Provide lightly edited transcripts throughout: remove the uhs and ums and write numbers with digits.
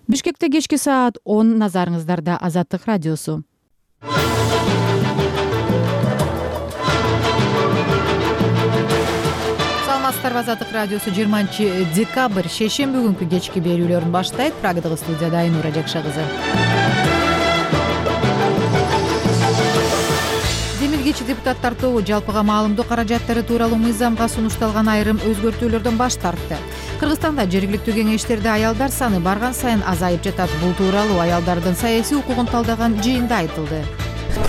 Бишкекте кечки саат 10 назарыңыздарда Азаттык радиосу. Саламатсыздарбы, Азаттык радиосу 20-декабрь шейшемби күнкү кечки берүүлөрүн баштайт. Прагадагы студияда Айнура Жакша кызы. Демилгечи депутаттар тобу жалпыга маалымдоо каражаттары тууралуу мыйзамга сунушталган айрым өзгөртүүлөрдөн баш тартты. Кыргызстанда жергиликтүү кеңештерде аялдар саны барган сайын азайып жатат. Бул тууралуу аялдардын саясий укугун талдаган жыйында айтылды.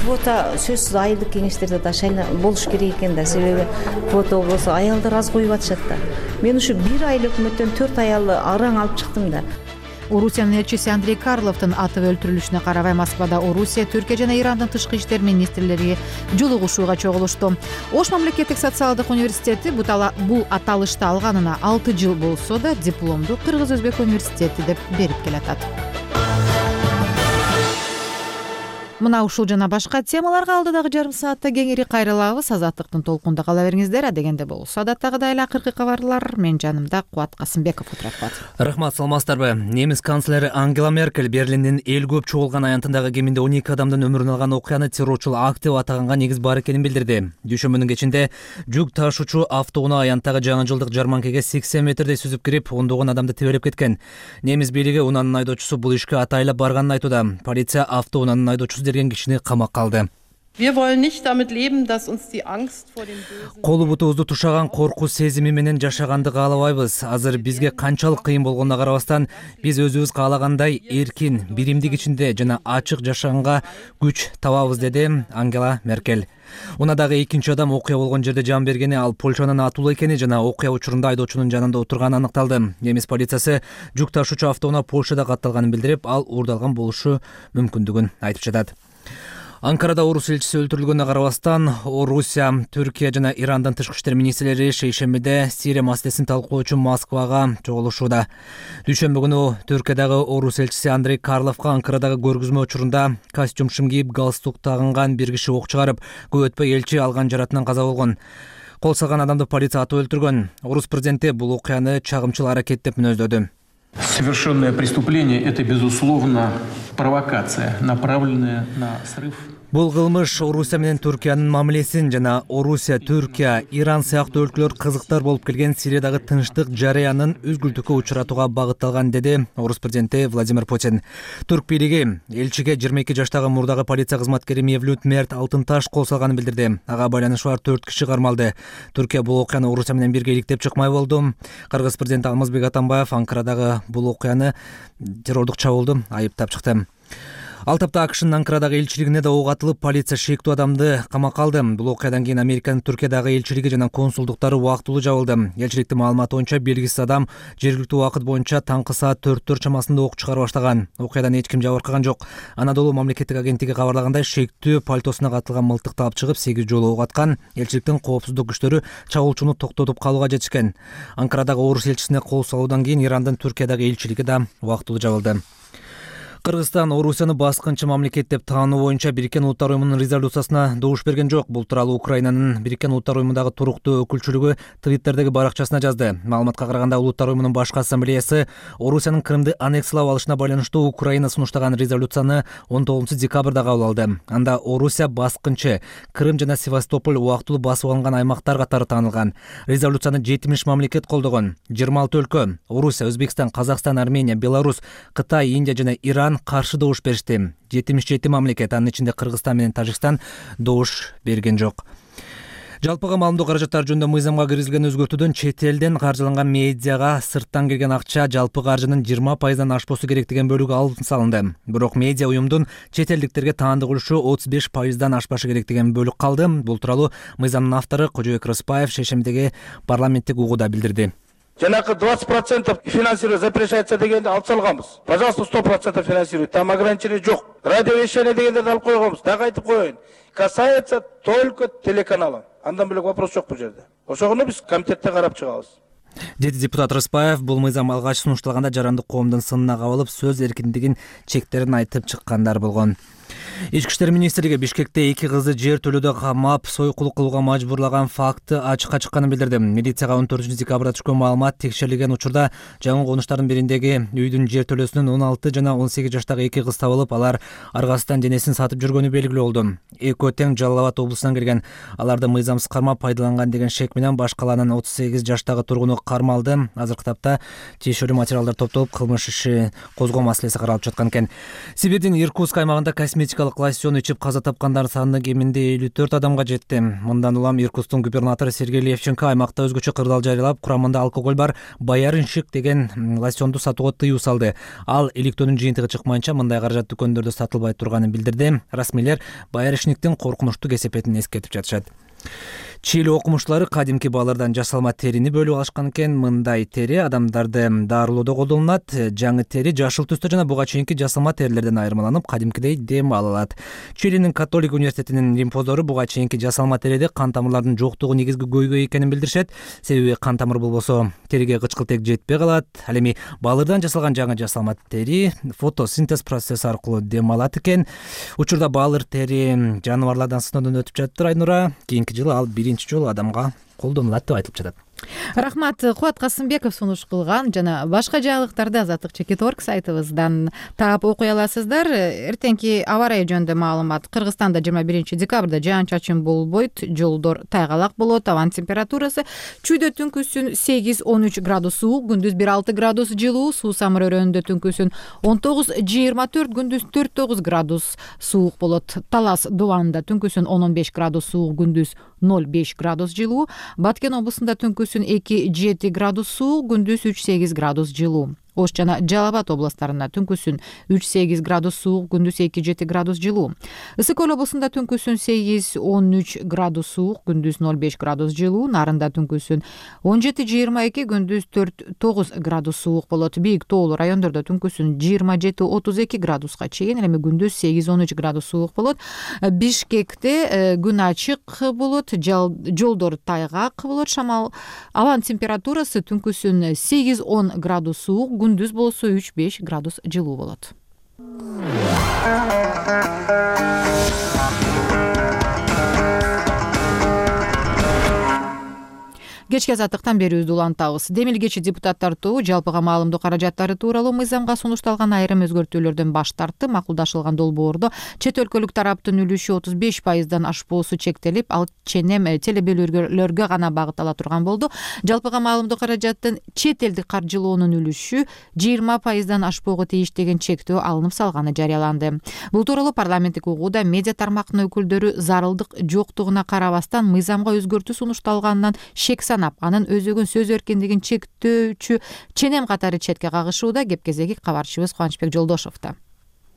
Квота сөзсүз айылдык кеңештерде да болуш керек экен да, себеби квота болсо аялдар аз коюп атышат да. Мен ушу 1 ай өкмөттөн 4 аялды араң алып чыктым да. Орусиянын элчиси Андрей Карловдун атып өлтүрүлүшүнө карабай Москвада Орусия, Түркия жана Ирандын тышкы иштер министрлери жолугушууга чогулушту. Ош мамлекеттик социалдык университети бул аталышты алганына 6 жыл болсо да дипломду Кыргыз-Өзбек университети деп берип келатат. Мына ушул жана башка темаларга алдыдагы жарым саатта кеңири кайрылабыз. Азаттыктын толкунда кала бериңиздер. Адегенде болсо адаттагыдай эле акыркы кабарлар менин жанымда Кубат Касымбеков отурат. Рахмат, саламатсыздарбы? Немис канцлери Ангела Меркель Берлиндин эл көп чогулган аянтындагы кеминде 12 адамдын өмүрүн алган окуяны террорчул акт деп атаганга негиз бар экенин билдирди. Дүйшөмбүнүн кечинде жүк ташуучу автоунаа аянттагы жаңы жылдык жарманкеге 80 метрдей сүзүп кирип, ондогон адамды тебелеп кеткен. Немис бийлиги унаанын айдоочусу бул ишке атайлап барганын айтууда. Полиция автоунаанын айдоочусу деген кишини камакка алды. Колу бутубузду тушаган коркуу сезими менен жашаганды каалабайбыз. Азыр бизге канчалык кыйын болгонуна карабастан, биз өзүбүз каалагандай эркин, биримдик ичинде жана ачык жашаганга күч табабыз, деди Ангела Меркель. Унадагы экинчи адам окуя болгон жерде жан бергени, ал Польшанын атуулу экени жана окуя учурунда айдоочунун жанында отурганы аныкталды. Немис полициясы жүк ташуучу автоунаа Польшада катталганын билдирип, ал уурдалган болушу мүмкүндүгүн айтып жатат. Анкарада орус элчиси өлтүрүлгөнүнө карабастан, Орусия, Түркия жана Ирандын тышкы иштер министрлери шейшембиде Сирия маселесин талкуулоо үчүн Москвага чогулушууда. Дүйшөмбү күнү Түркиядагы орус элчиси Андрей Карловго Анкарадагы көргөзмө учурунда костюм кийип галстук тагынган бир киши ок чыгарып, көп өтпөй элчи алган жаратынан каза болгон. Кол салган адамды полиция атып өлтүргөн. Орус президенти бул окуяны чагымчыл аракет деп мүнөздөдү. Совершенное преступление – это, безусловно, провокация, направленная на срыв. Бул кылмыш Орусия менен Түркиянын мамилесин жана Орусия, Түркия, Иран сыяктуу өлкөлөр кызыктар болуп келген Сириядагы тынчтык жарыянын үзгүлтүккө учуратууга багытталган, деди орус президенти Владимир Путин. Түрк бийлиги элчиге 22 жаштагы мурдагы полиция кызматкери Мевлют Мерт Алтынташ кол салганын билдирди. Ага байланышы бар 4 киши кармалды. Түркия бул окуяны Орусия менен бирге иликтеп чыкмай болду. Кыргыз президенти Алмазбек Атамбаев Анкарадагы бул окуяны террордук чабуулду айыптап чыкты. Ал тапта АКШнын Анкарадагы элчилигине да ок атылып, полиция шектүү адамды камакка алды. Бул окуядан кийин Американын Түркиядагы элчилиги жана консулдуктары убактылуу жабылды. Элчиликтин маалыматы боюнча белгисиз адам жергиликтүү убакыт боюнча таңкы саат 4 чамасында ок чыгара баштаган. Окуядан эч ким жабыркаган жок. Анадолу мамлекеттик агенттиги кабарлагандай, шектүү пальтосуна катылган мылтыкты алып чыгып 8 жолу ок аткан. Элчиликтин коопсуздук күчтөрү чабуулчуну токтотуп калууга жетишкен. Анкарадагы орус элчисине кол салуудан кийин Ирандын Түркиядагы элчилиги да убактылуу жабылды. Кыргызстан Орусияны баскынчы мамлекет деп таануу боюнча Бириккен Улуттар уюмунун резолюциясына добуш берген жок. Бул тууралуу Украинанын Бириккен Улуттар уюмундагы туруктуу өкүлчүлүгү Твиттердеги баракчасына жазды. Маалыматка караганда, Улуттар уюмунун башкы ассамблеясы Орусиянын Крымды аннексиялап алышына байланыштуу Украина сунуштаган резолюцияны 19 декабрда кабыл алды. Анда Орусия баскынчы, Крым жана Севастополь убактылуу басып алынган аймактар катары таанылган. Резолюцияны 70 мамлекет колдогон. 26 өлкө — Орусия, Өзбекстан, Казакстан, Армения, Беларусь, Кытай, Индия жана Иран каршы добуш беришти. 77 мамлекет, анын ичинде Кыргызстан менен Тажикстан, добуш берген жок. Жалпыга маалымдоо каражаттары жөнүндө мыйзамга киргизилген өзгөртүүдөн чет элден каржыланган медиага сырттан келген акча жалпы каржынын 20%-дан ашпосу керек деген бөлүгү алып салынды. Бирок медиа уюмдун чет элдиктерге таандык үлүшү 35%-дан ашпашы керек деген бөлүк калды. Бул тууралуу мыйзамдын автору Кожобек Рыспаев шейшембидеги парламенттик угууда билдирди. Жанакы 20% финансировать запрещается дегенде алып салганбыз. Пожалуйста, 100% финансируйте. Там ограничение жок. Радиовещание дегендерди алып койгонбуз. Дагы айтып коеюн. Касается только телеканала. Андан бөлөк вопрос жок бул жерде. Ошону биз комитетте карап чыгабыз. Деди депутат Рыспаев. Бул мыйзам алгач сунушталганда жарандык коомдун сынына кабылып, сөз эркиндигин чектерин айтып чыккандар болгон. Ички иштер министрлиги Бишкекте 2 кызды жер төлөдө камап, сойкулук кылууга мажбурлаган факты ачыкка чыкканын билдирди. Милицияга 14-декабрда түшкөн маалымат текшерилген учурда жаңы конуштардын бириндеги үйдүн жер төлөөсүнөн 16 жана 18 жаштагы 2 кыз табылып, алар аргасынан денесин сатып жүргөнү белгилүү болду. Экөө тең Жалал Абад облусунан келген. Аларды мыйзамсыз кармап пайдаланган деген шек менен баш калаанын 38 жаштагы тургуну кармалды. Азыркы тапта тиешелүү материалдар топтолуп, кылмыш иши козгоо маселеси каралып жаткан экен. Сибирдин Иркутск аймагында косметикалык лосьон ичип каза тапкандардын саны кеминде 54 адамга жетти. Мындан улам Иркутсктун губернатору Сергей Левченко аймакта өзгөчө кырдаал жарыялап, курамында алкоголь бар Боярыншик деген лосьонду сатууга тыюу салды. Ал иликтөөнүн жыйынтыгы чыкмайынча мындай каражат дүкөндөрдө сатылбай турганын билдирди. Расмийлер Боярыншиктин коркунучтуу кесепетин эскертип жатышат. Чили окумуштуулары кадимки балырдан жасалма терини бөлүп алышкан экен. Мындай тери адамдарды дарылоодо колдонулат. Жаңы тери жашыл түстө жана буга чейинки жасалма терилерден айырмаланып, кадимкидей дем ала алат. Чилинин католик университетинин лимфоздору буга чейинки жасалма териде кан тамырлардын жоктугу негизги көйгөй экенин билдиришет. Себеби кан тамыр болбосо териге кычкылтек жетпей калат. Ал эми балырдан жасалган жаңы жасалма тери фотосинтез процесси аркылуу дем алат экен. Учурда балыр тери жаныбарлардан сыноодон өтүп жатыр, Айнура. Кийинки жылы ал биринчи жолу адамга колдонулат деп айтылып жатат. Рахмат. Кубат Касымбеков сунуш кылган жана башка жаңылыктарды Азаттык.org сайтыбыздан таап окуй аласыздар. Эртеңки аба ырайы жөнүндө маалымат. Кыргызстанда 21-декабрда жаан-чачын болбойт, жолдор тайгалак болот, абанын температурасы чүйдө түнкүсүн 8-13 градус суук, күндүз 1-6 градус жылуу, суу самыр өрөөнүндө түнкүсүн 19-24, күндүз 4-9 градус суук болот. Талас Дубанда түнкүсүн 10-15 градус суук, күндүз 0-5 градус жылуу. Баткен облусунда түнкүсүн 2-7 градус суук, күндүз 3-8 градус жылуу. Ош жана Жалал Абад областарында түнкүсүн 3-8 градус суук, күндүз 2-7 градус жылуу. Ысык Көл облусунда түнкүсүн 8-13 градус суук, күндүз 0-5 градус жылуу. Нарында түнкүсүн 17-22, күндүз 4-9 градус суук болот. Бийик тоолуу райондордо түнкүсүн 27-32 градуска чейин, эми күндүз 8-13 градус суук болот. Бишкекте күн ачык болот, жолдор тайгак болот, шамал. Абанын температурасы түнкүсүн 8-10 градус суук, күндүз болсо 3-5 градус жылуу болот. Кечки азаттыктан берүүбүздү улантабыз. Демилгечи депутаттар тобу жалпыга маалымдоо каражаттары тууралуу мыйзамга сунушталган айрым өзгөртүүлөрдөн баш тартты. Макулдашылган долбоордо чет өлкөлүк тараптын үлүшү 35%дан ашпоосу чектелип, ал ченем телебөлүүлөргө гана багыттала турган болду. Жалпыга маалымдоо каражаттын чет элдик каржылоонун үлүшү 20%дан ашпоого тийиш деген чектөө алынып салганы жарыяланды. Бул тууралуу парламенттик угууда медиа тармактын өкүлдөрү зарылдык жоктугуна карабастан мыйзамга өзгөртүү сунушталганынан шек санап, анын өзөгүн сөз эркиндигин чектөөчү ченем катары четке кагышууда. Кеп-кезеги кабарчыбыз Кубанычбек Жолдошовдо.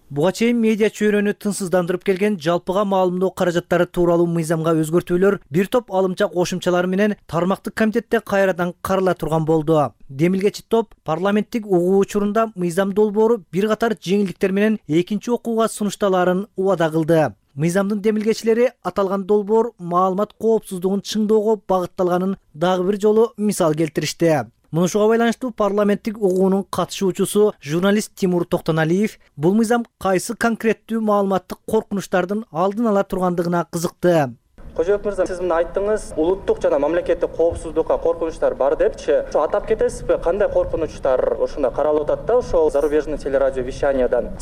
Буга чейин медиа чөйрөнү тынчсыздандырып келген жалпыга маалымдоо каражаттары тууралуу мыйзамга өзгөртүүлөр бир топ алымча кошумчалар менен тармактык комитетте кайрадан карала турган болду. Демилгечи топ парламенттик угуу учурунда мыйзам долбоору бир катар жеңилдиктер менен экинчи окууга сунушталаарын убада кылды. Мыйзамдын демилгечилери аталган долбоор маалымат коопсуздугун чыңдоого багытталганын дагы бир жолу мисал келтиришти. Мунушуга байланыштуу парламенттик угуунун катышуучусу журналист Тимур Токтоналиев бул мыйзам кайсы конкреттүү маалыматтык коркунучтардын алдын ала тургандыгына кызыкты. Кожоев мырза, сиз мына айттыңыз, улуттук жана мамлекеттик коопсуздукка коркунучтар бар депчи. Ошо атап кетесизби, кандай коркунучтар ушунда каралып атат да, ошол зарубежный телевещаниядан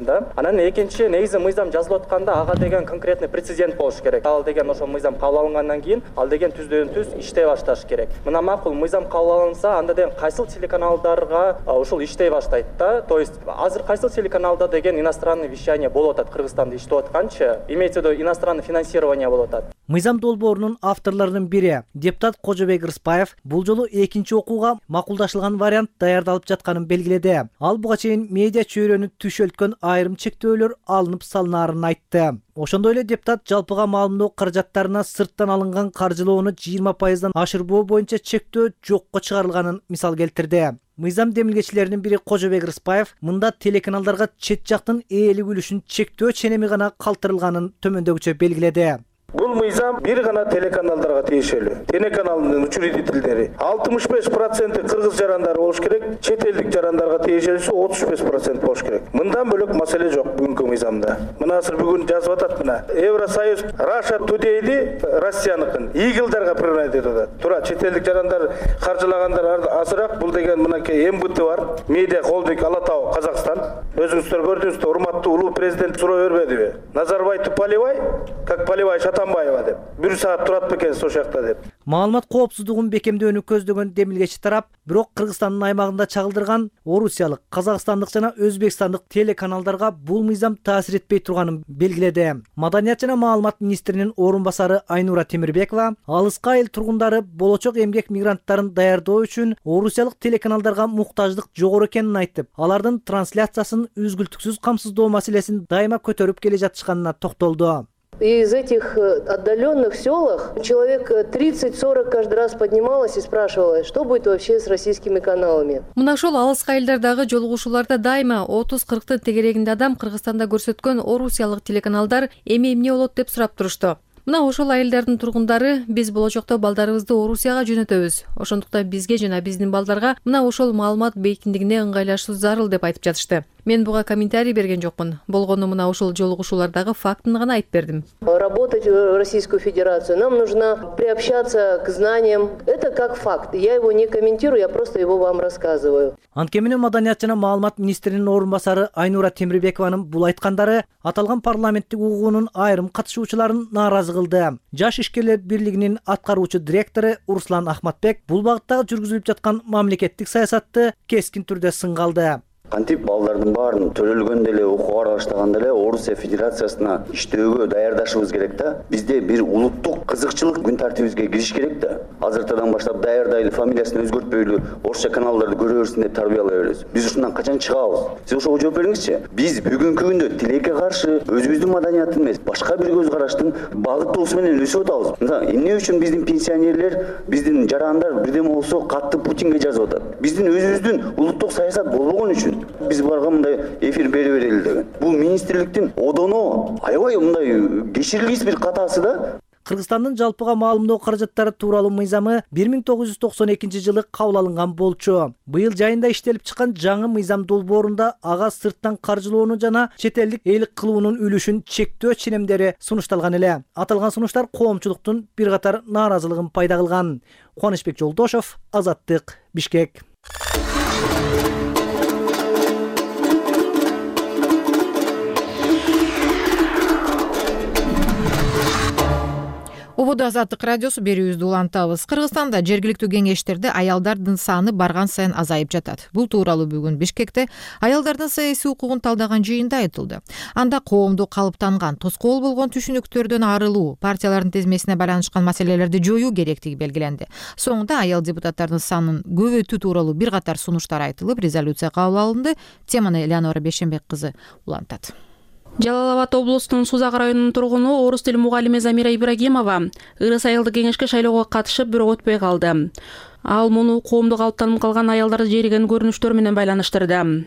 да. Анан экинчи, негизи мыйзам жазылып атканда ага деген конкретный прецедент болуш керек. Ал деген ошо мыйзам кабыл алынгандан кийин ал деген түздөн-түз иштей башташ керек. Мына макул мыйзам кабыл алынса, анда деген кайсыл телеканалдарга ушул иштей баштайт да. То есть азыр кайсыл телеканалда деген иностранный вещание болуп атат, Кыргызстанда иштеп атканчы, имеется в виду иностранное финансирование болуп. Мыйзам долбоорунун авторлорунун бири депутат Кожобек Рыспаев бул жолу экинчи окууга макулдашылган вариант даярдалып жатканын белгиледи. Ал буга чейин медиа чөйрөнү түшөлткөн айрым чектөөлөр алынып салынаарын айтты. Ошондой эле депутат жалпыга маалымдоо каражаттарына сырттан алынган каржылоону 20%дан ашырбоо боюнча чектөө жокко чыгарылганын мисал келтирди. Мыйзам демилгечилеринин бири Кожобек Рыспаев мында телеканалдарга чет жактын ээлик үлүшүн чектөө ченеми гана калтырылганын төмөндөгүчө белгиледи. Бул мыйзам бир гана телеканалдарга тиешелүү. Телеканалдын учредительдери 65% кыргыз жарандары болуш керек, чет элдик жарандарга тиешелүүсү 35% болуш керек. Мындан бөлөк маселе жок бүгүнкү мыйзамда. Мына азыр бүгүн жазып атат мына. Евросоюз Russia Today'ди Россияныкын игилдарга приравнять этип атат. Туура чет элдик жарандар каржылагандар азыраак. Бул деген мынакей МБТ бар. Медиа холдинг Ала Тау Казакстан. Өзүңүздөр көрдүңүздөр, урматтуу улуу президент суроо бербедиби? Назарбаевду поливай, как поливай Атамбаева деп. 1 саат турат бекенсиз ошол жакта деп. Маалымат коопсуздугун бекемдөөнү көздөгөн демилгечи тарап, бирок Кыргызстандын аймагында чагылдырган орусиялык, казакстандык жана өзбекстандык телеканалдарга бул мыйзам таасир этпей турганын белгиледи. Маданият жана маалымат министринин орун басары Айнура Темирбекова алыска айыл тургундары болочок эмгек мигранттарын даярдоо үчүн орусиялык телеканалдарга муктаждык жогору экенин айтып, алардын трансляциясын үзгүлтүксүз камсыздоо маселесин дайыма көтөрүп келе жатышканына токтолду. Из этих отдаленных селах человек 30-40 каждый раз поднималась и спрашивала, что будет вообще с российскими каналами. Мына ошол алыска айылдардагы жолугушууларда дайыма 30-40 тегерегинде адам Кыргызстанда көрсөткөн орусиялык телеканалдар эми эмне болот деп сурап турушту. Мына ошол айылдардын тургундары биз болочокто балдарыбызды Орусияга жөнөтөбүз. Ошондуктан бизге жана биздин балдарга мына ошол маалымат бейкиндигине ыңгайлашуу зарыл деп айтып жатышты. Мен буга комментарий берген жокмун. Болгону мына ошол жолугушуулардагы фактын гана айтып бердим. Работать в Российскую Федерацию нам нужно приобщаться к знаниям. Это как факт. Я его не комментирую, я просто его вам рассказываю. Анткени Маданият жана маалымат министринин орун басары Айнура Темирбекованын бул айткандары аталган парламенттик угуунун айрым катышуучуларын нааразы кылды. Жаш ишкерлер бирлигинин аткаруучу директору Руслан Ахматбек бул багыттагы жүргүзүлүп жаткан мамлекеттик саясатты кескин түрдө сынга алды. Кантип балдардын баарын төлөлгөндө эле окууга баштаганда эле Орусия Федерациясына иштөөгө даярдашыбыз керек да. Бизде бир улуттук кызыкчылык күн тартибибизге кириш керек да. Азыртадан баштап даярдайлы, фамилиясын өзгөртпөйлү орусча каналдарды көрө берсин деп тарбиялай беребиз. Биз ушундан качан чыгабыз? Сиз ошого жооп бериңизчи. Биз бүгүнкү күндө тилекке каршы өзүбүздүн маданияттын эмес, башка бир көз караштын багыттоосу менен өсүп атабыз. Эмне үчүн биздин пенсионерлер, биздин жарандар бирдеме болсо катты Путинге жазып атат? Биздин өзүбүздүн улуттук саясат болбогон үчүн биз буларга мындай эфир бере берели деген. Бул министрликтин одоно аябай мындай кечирилгис бир катасы да. Кыргызстандын жалпыга маалымдоо каражаттары тууралуу мыйзамы 1992 жылы кабыл алынган болчу. Быйыл жайында иштелип чыккан жаңы мыйзам долбоорунда ага сырттан каржылоону жана чет элдик эйлик кылуунун үлүшүн чектөө ченемдери сунушталган эле. Аталган сунуштар коомчулуктун бир катар нааразылыгын пайда кылган. Кубанычбек Жолдошов, Азаттык, Бишкек. Ободо Азаттык радиосу берүүбүздү улантабыз. Кыргызстанда жергиликтүү кеңештерде аялдардын саны барган сайын азайып жатат. Бул тууралуу бүгүн Бишкекте аялдардын саясий укугун талдаган жыйында айтылды. Анда коомду калыптанган, тоскоол болгон түшүнүктөрдөн арылуу, партиялардын тизмесине байланышкан маселелерди жоюу керектиги белгиленди. Соңунда аял депутаттардын санын көбөйтүү тууралуу бир катар сунуштар айтылып, резолюция кабыл алынды. Теманы Элеонора Бешенбек кызы улантат. Жалал Абад облусунун Сузак районунун тургуну орус тил мугалими Замира Ибрагимова ырыс айылдык кеңешке шайлоого катышып, бирок өтпөй калды. Ал муну коомду калыптанып калган аялдарды жериген көрүнүштөр менен байланыштырды.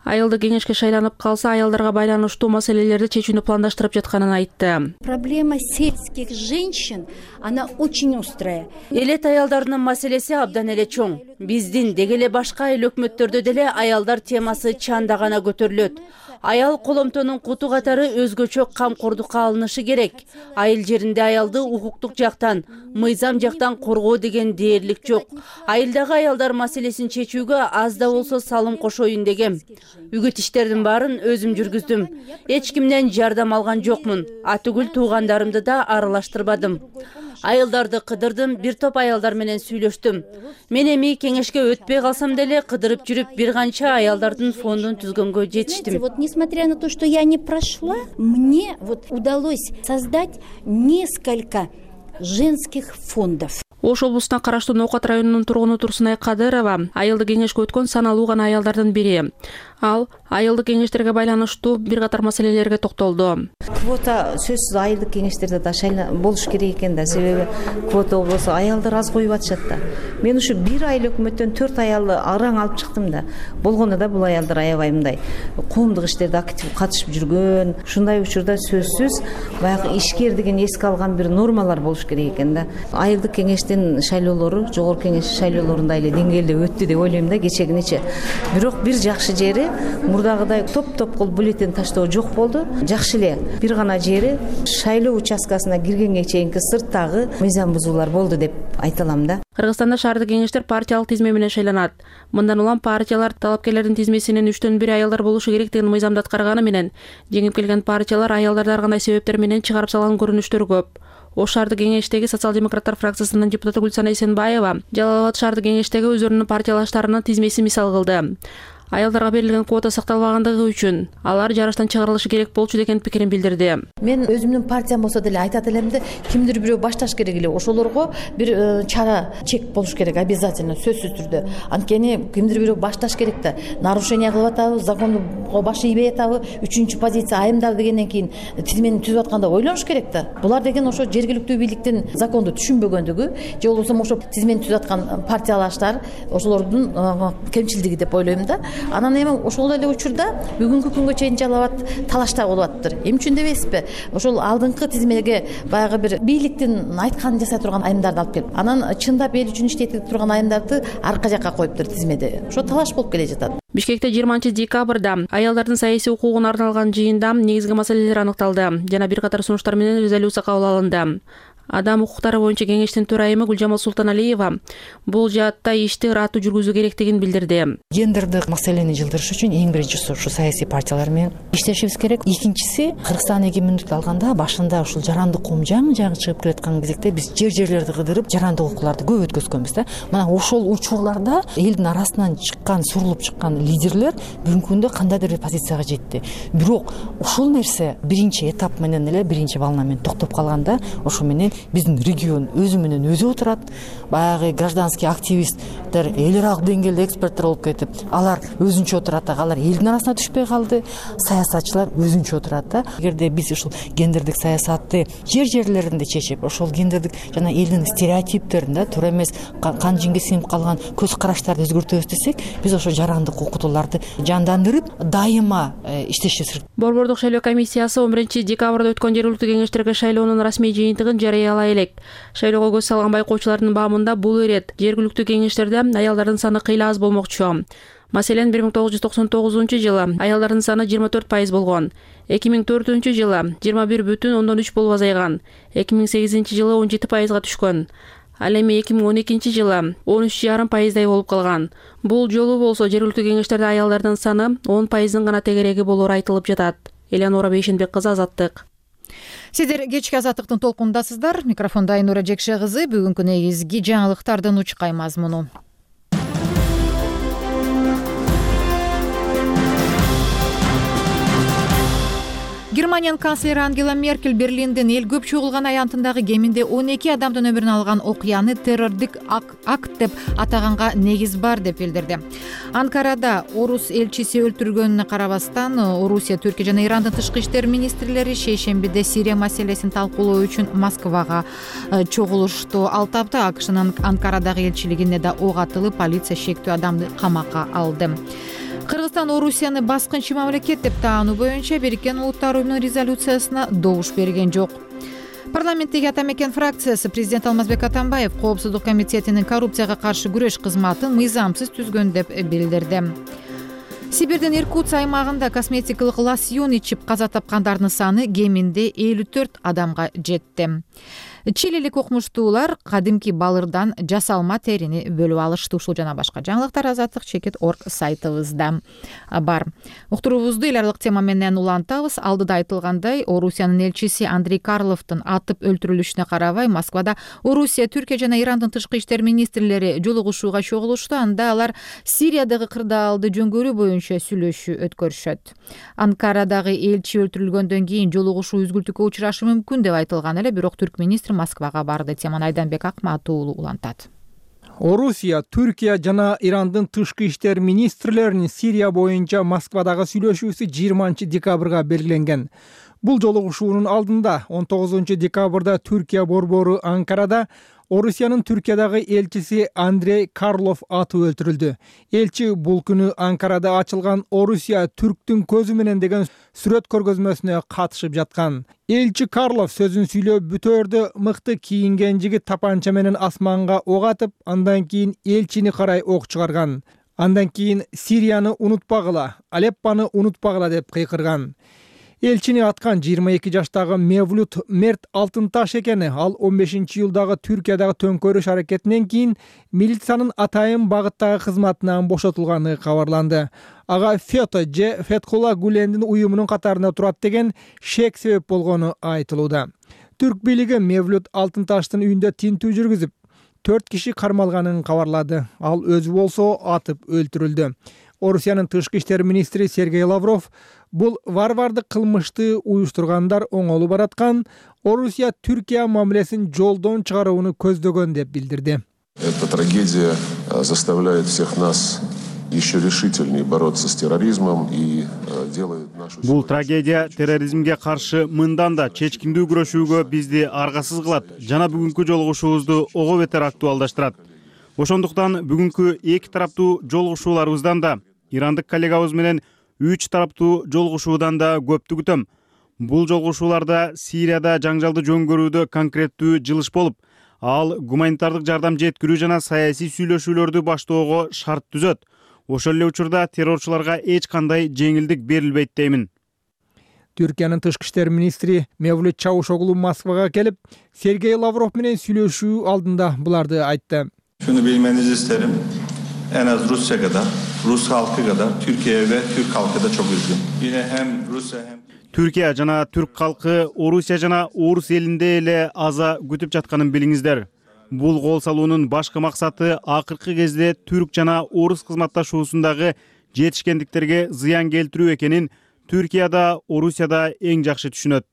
Айылдык кеңешке шайланып калса, аялдарга байланыштуу маселелерди чечүүнү пландаштырып жатканын айтты. Проблема сельских женщин, она очень острая. Элет аялдарынын маселеси абдан эле чоң. Биздин деги эле башка эл өкмөттөрдө деле аялдар темасы чанда гана көтөрүлөт. Аял коломтонун куту катары өзгөчө камкордукка алынышы керек. Айыл жеринде аялды укуктук жактан, мыйзам жактан коргоо деген дээрлик жок. Айылдагы аялдар маселесин чечүүгө аз да болсо салым кошоюн дегем. Үгүт иштердин баарын өзүм жүргүздүм. Эч кимден жардам алган жокмун. Атүгүл туугандарымды да аралаштырбадым. Айылдарды кыдырдым, бир топ аялдар менен сүйлөштүм. Мен эми кеңешке өтпөй калсам деле кыдырып жүрүп бир канча аялдардын фондун түзгөнгө жетиштим. Вот несмотря на то, что я не прошла, мне вот удалось создать несколько женских фондов. Ош облусуна караштуу Ноокат районунун тургуну Турсунай Кадырова айылдык кеңешке өткөн саналуу гана аялдардын бири. Ал айылдык кеңештерге байланыштуу бир катар маселелерге токтолду. Квота сөзсүз айылдык кеңештерде да болуш керек экен да, себеби квота болбосо аялдар аз коюп атышат да. Мен ушу бир айыл өкмөттөн 4 аялды араң алып чыктым да. Болгондо да бул аялдар аябай мындай коомдук иштерде актив катышып жүргөн, ушундай учурда сөзсүз баягы ишкер деген эске алган бир нормалар болуш керек экен да. Айылдык кеңештин шайлоолору, жогорку кеңеш шайлоолорундай эле деңгээлде өттү деп ойлойм да кечегинече. Бирок бир жакшы жери мурдагыдай топ кылып бюллетень таштоо жок болду. Жакшы эле бир гана жери шайлоо участкасына киргенге чейинки сырттагы мыйзам бузуулар болду деп айта алам да. Кыргызстанда шаардык кеңештер партиялык тизме менен шайланат. Мындан улам партиялар талапкерлердин тизмесинин 3/1 аялдар болушу керектигин мыйзамда аткарганы менен жеңип келген партиялар аялдарды ар кандай себептер менен чыгарып салган көрүнүштөр көп. Ош шаардык кеңештеги социал-демократтар фракциясынын депутаты Гүлсана Эсенбаева Жалал Абад шаардык кеңештеги өзүнүн партиялаштарынын тизмесин мисал кылды. Аялдарга берилген квота сакталбагандыгы үчүн алар жарыштан чыгарылышы керек болчу деген пикирин билдирди. Мен өзүмдүн партиям болсо деле айтат элем да, кимдир бирөө башташ керек эле. Ошолорго бир чара чек болуш керек обязательно, сөзсүз түрдө. Анткени кимдир бирөө башташ керек да. Нарушение кылып атабы, законго баш ийбей атабы, 3-чү позиция айымдар дегенден кийин тизмени түзүп атканда ойлонуш керек да. Булар деген ошо жергиликтүү бийликтин законду түшүнбөгөндүгү, же болбосо ошо тизмени түзүп аткан партиялаштар ошолордун кемчилдиги деп ойлойм да. Анан эми ошол эле учурда бүгүнкү күнгө чейин Жалал Абад талашта болуп атыптыр. Эмне үчүн дебейсизби? Ошол алдыңкы тизмеге баягы бир бийликтин айтканын жасай турган айымдарды алып келип, анан чындап эл үчүн иштей турган айымдарды арка жакка коюптур тизмеде. Ошо талаш болуп келе жатат. Бишкекте 20-декабрда аялдардын саясий укугуна арналган жыйында негизги маселелер аныкталды жана бир катар сунуштар менен резолюция кабыл алынды. Адам укуктары боюнча кеңештин төрайымы Гүлжамал Султаналиева бул жаатта ишти ыраттуу жүргүзүү керектигин билдирди. Гендердик маселени жылдырыш үчүн эң биринчиси ушу саясий партиялар менен иштешибиз керек. Экинчиси, Кыргызстан эгемендик алганда башында ушул жарандык коом жаңы чыгып келаткан кезекте биз жерлерди кыдырып жарандык укукларды көп өткөзгөнбүз да. Мына ошол учурларда элдин арасынан сурулуп чыккан лидерлер бүгүнкү күндө кандайдыр бир позицияга жетти. Бирок ушул нерсе биринчи этап менен эле биринчи волна менен токтоп калганда, ошо менен биздин регион өзү менен өзү отурат. Баягы гражданский активисттер, эл аралык деңгээлде эксперттер болуп кетип, алар өзүнчө отурат, алар элдин арасына түшпөй калды. Саясатчылар өзүнчө отурат да. Эгерде биз ушул гендердик саясатты жерлеринде чечип, ошол гендердик жана элдин стереотиптерин да туура эмес кан жинге сиңип калган көз караштарды өзгөртөбүз десек, биз ошол жарандык окутууларды жандандырып, дайыма иштешибиз керек. Борбордук шайлоо комиссиясы 11-декабрда өткөн жергиликтүү кеңештерге шайлоонун расмий жыйынтыгын жарыялай элек. Шайлоого көз салган байкоочулардын баамында бул ирет жергиликтүү кеңештерде аялдардын саны кыйла аз болмокчу. Маселен 1999 жылы аялдардын саны 24% болгон. 2004 жылы 21,3 болуп азайган. 2008 жылы 17%га түшкөн. Ал эми 2012 жылы 13,5% болуп калган. Бул жолу болсо жергиликтүү кеңештерде аялдардын саны 10%-ын гана тегереги болору айтылып жатат. Элеонора Бейшенбек кызы, Азаттык. Сиздер кечки Азаттыктын толкундасыздар. Микрофондо Айнура Жекше кызы. Бүгүнкү негизги жаңылыктардын учкай мазмуну. Германиянын канцлери Ангела Меркель Берлиндин эл көп чогулган аянтындагы кеминде 12 адамдын өмүрүн алган окуяны террордук акт деп атаганга негиз бар деп билдирди. Анкарада орус элчиси өлтүрүлгөнүнө карабастан, Орусия, Түркия жана Ирандын тышкы иштер министрлери шейшембиде Сирия маселесин талкуулоо үчүн Москвага чогулушту. Ал тапта АКШнын Анкарадагы элчилигине да ок атылып, полиция шектүү адамды камакка алды. Кыргызстан Орусияны баскынчы мамлекет деп таануу боюнча Бириккен Улуттар Уюмунун резолюциясына добуш берген жок. Парламенттеги Ата мекен фракциясы президент Алмазбек Атамбаев Коопсуздук комитетинин коррупцияга каршы күрөш кызматын мыйзамсыз түзгөн деп билдирди. Сибирдин Иркутск аймагында косметикалык лосьон ичип каза тапкандардын саны кеминде 54 адамга жетти. Чилилик окумуштуулар кадимки балырдан жасалма терини бөлүп алышты. Ушул жана башка жаңылыктар Азаттык.org сайтыбызда бар. Уктуруубузду эл аралык тема менен улантабыз. Алдыда айтылгандай, Орусиянын элчиси Андрей Карловдун атып өлтүрүлүшүнө карабай Москвада Орусия, Түркия жана Ирандын тышкы иштер министрлери жолугушууга чогулушту. Анда алар Сириядагы кырдаалды жөнгөрүү боюнча сүйлөшүү өткөрүшөт. Анкарадагы элчи өлтүрүлгөндөн кийин жолугушуу үзгүлтүккө учурашы мүмкүн деп айтылган эле, бирок түрк министри Москвага барды. Теманы Айданбек Акматов уулу улантат. Орусия, Түркия жана Ирандын тышкы иштер министрлеринин Сирия боюнча Москвадагы сүйлөшүүсү 20 декабрга белгиленген. Бул жолугушуунун алдында 19 декабрда Түркия борбору Анкарада Орусиянын Түркиядагы элчиси Андрей Карлов атып өлтүрүлдү. Элчи бул күнү Анкарада ачылган Орусия түрктүн көзү менен деген сүрөт көргөзмөсүнө катышып жаткан. Элчи Карлов сөзүн сүйлөп бүтөөрдө мыкты кийинген жигит тапанча менен асманга ок атып, андан кийин элчини карай ок чыгарган. Андан кийин Сирияны унутпагыла, Алеппаны унутпагыла деп кыйкырган. Элчини аткан 22 жаштагы Мевлют Мерт Алтынташ экени. Ал 15-июлдагы Түркиядагы төңкөрүш аракетинен кийин милициянын атайын багыттагы кызматынан бошотулганы кабарланды. Ага Фето же Фетхула Гулендин уюмунун катарында турат деген шек себеп болгону айтылууда. Түрк бийлиги Мевлют Алтынташтын үйүндө тинтүү жүргүзүп, 4 киши кармалганын кабарлады. Ал өзү болсо атып өлтүрүлдү. Орусиянын тышкы иштер министри Сергей Лавров бул варвардык кылмышты уюштургандар оңолу бараткан, Орусия Түркия мамилесин жолдон чыгарууну көздөгөн деп билдирди. Эта трагедия заставляет всех нас еще решительнее бороться с терроризмом и делает нашу... Бул трагедия терроризмге каршы мындан да чечкиндүү күрөшүүгө бизди аргасыз кылат жана бүгүнкү жолугушуубузду ого бетер актуалдаштырат. Ошондуктан бүгүнкү эки тараптуу жолугушууларыбыздан да, ирандык коллегабыз менен 3 тараптуу жолугушуудан да көптү күтөм. Бул жолугушууларда Сирияда жаңжалды жөнгөрүүдө конкреттүү жылыш болуп, ал гуманитардык жардам жеткирүү жана саясий сүйлөшүүлөрдү баштоого шарт түзөт. Ошол эле учурда террорчуларга эч кандай жеңилдик берилбейт деймин. Түркиянын тышкы иштер министри Мевлют Чавушоглу Москвага келип, Сергей Лавров менен сүйлөшүү алдында буларды айтты. Şunu bilmenizi isterim. En az Rusya kadar, Rus halkı kadar Türkiye ve Türk halkı da çok üzgün. Yine hem Rusya hem Türkiye жана Türk халкы Орусия жана Орус элинде эле аза күтүп жатканын билиңиздер. Бул кол салуунун башкы максаты акыркы кезде Түрк жана Орус кызматташуусундагы жетишкендиктерге зыян келтирүү экенин Түркияда, Орусияда эң жакшы түшүнөт.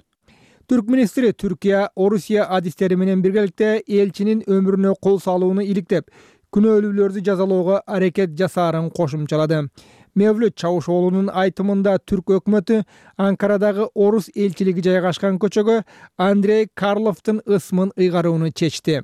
Түрк министри Түркия, Орусия адистери менен биргеликте элчинин өмүрүнө кол салууну иликтеп, күнөөлүүлөрдү жазалоого аракет жасаарын кошумчалады. Мевлют Чавушоглунун айтымында Түрк өкмөтү Анкарадагы Орус элчилиги жайгашкан көчөгө Андрей Карловдун ысмын ыйгарууну чечти.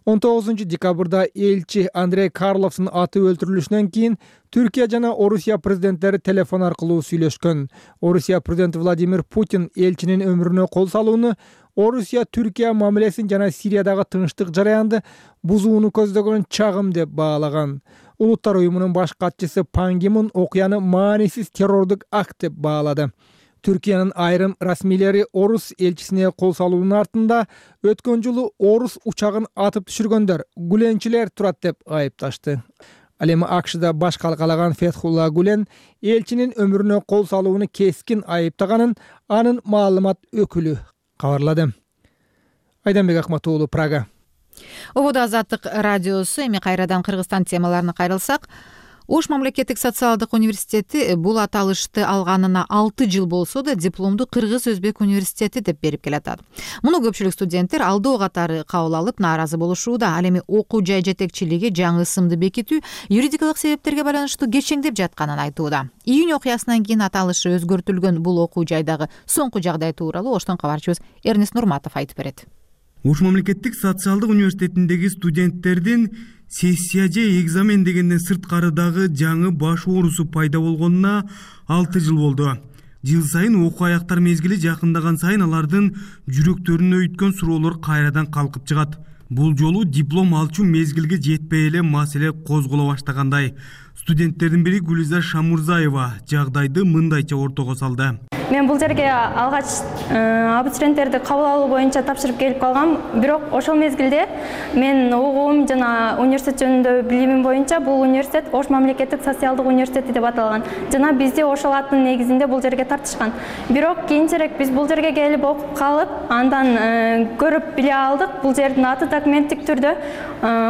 19 декабрда элчи Андрей Карловдун атып өлтүрүлүшүнөн кийин Түркия жана Орусия президенттери телефон аркылуу сүйлөшкөн. Орусия президенти Владимир Путин элчинин өмүрүнө кол салууну Орусия Түркия мамилесин жана Сириядагы тынчтык жараянды бузууну көздөгөн чагым деп баалаган. Улуттар уюмунун баш катчысы Пан Ги Мун окуяны маанисиз террордук акт деп баалады. Түркиянын айрым расмийлери Орус элчисине кол салуунун артында өткөн жылы Орус учагын атып түшүргөндөр, гүленчилер турат деп айыпташты. Ал эми АКШда баш калкалаган Фетхулла Гулен элчинин өмүрүнө кол салууну кескин айыптаганын анын маалымат өкүлү кабарлады. Айданбек Акматуулу, Прага. Ободо Азаттык радиосу. Эми кайрадан Кыргызстан темаларына кайрылсак, Ош мамлекеттик социалдык университети бул аталышты алганына 6 жыл болсо да дипломду Кыргыз-Өзбек университети деп берип келатат. Муну көпчүлүк студенттер алдоо катары кабыл алып нааразы болушууда. Ал эми окуу жай жетекчилиги жаңы ысымды бекитүү юридикалык себептерге байланыштуу кечеңдеп жатканын айтууда. Июнь окуясынан кийин аталышы өзгөртүлгөн бул окуу жайдагы соңку жагдай тууралуу Оштон кабарчыбыз Эрнест Нурматов айтып берет. Ош мамлекеттик социалдык университетиндеги студенттердин сессия же экзамен дегенден сырткарыдагы жаңы баш оорусу пайда болгонуна 6 жыл болду. Жыл сайын окуу аяктар мезгили жакындаган сайын алардын жүрөктөрүнө өйткөн суроолор кайрадан калкып чыгат. Бул жолу диплом алчу мезгилге жетпей эле маселе козголо баштагандай. Студенттердин бири Гүлиза Шамурзаева жагдайды мындайча ортого салды. Мен бул жерге алгач абитуриенттерди кабыл алуу боюнча тапшырып келип калгам. Бирок ошол мезгилде мен угуум жана университет жөнүндө билимим боюнча бул университет Ош мамлекеттик социалдык университети деп аталган. Жана бизди ошол аттын негизинде бул жерге тартышкан. Бирок кийинчерээк биз бул жерге келип окуп калып, андан көрүп биле алдык. Бул жердин аты документтик түрдө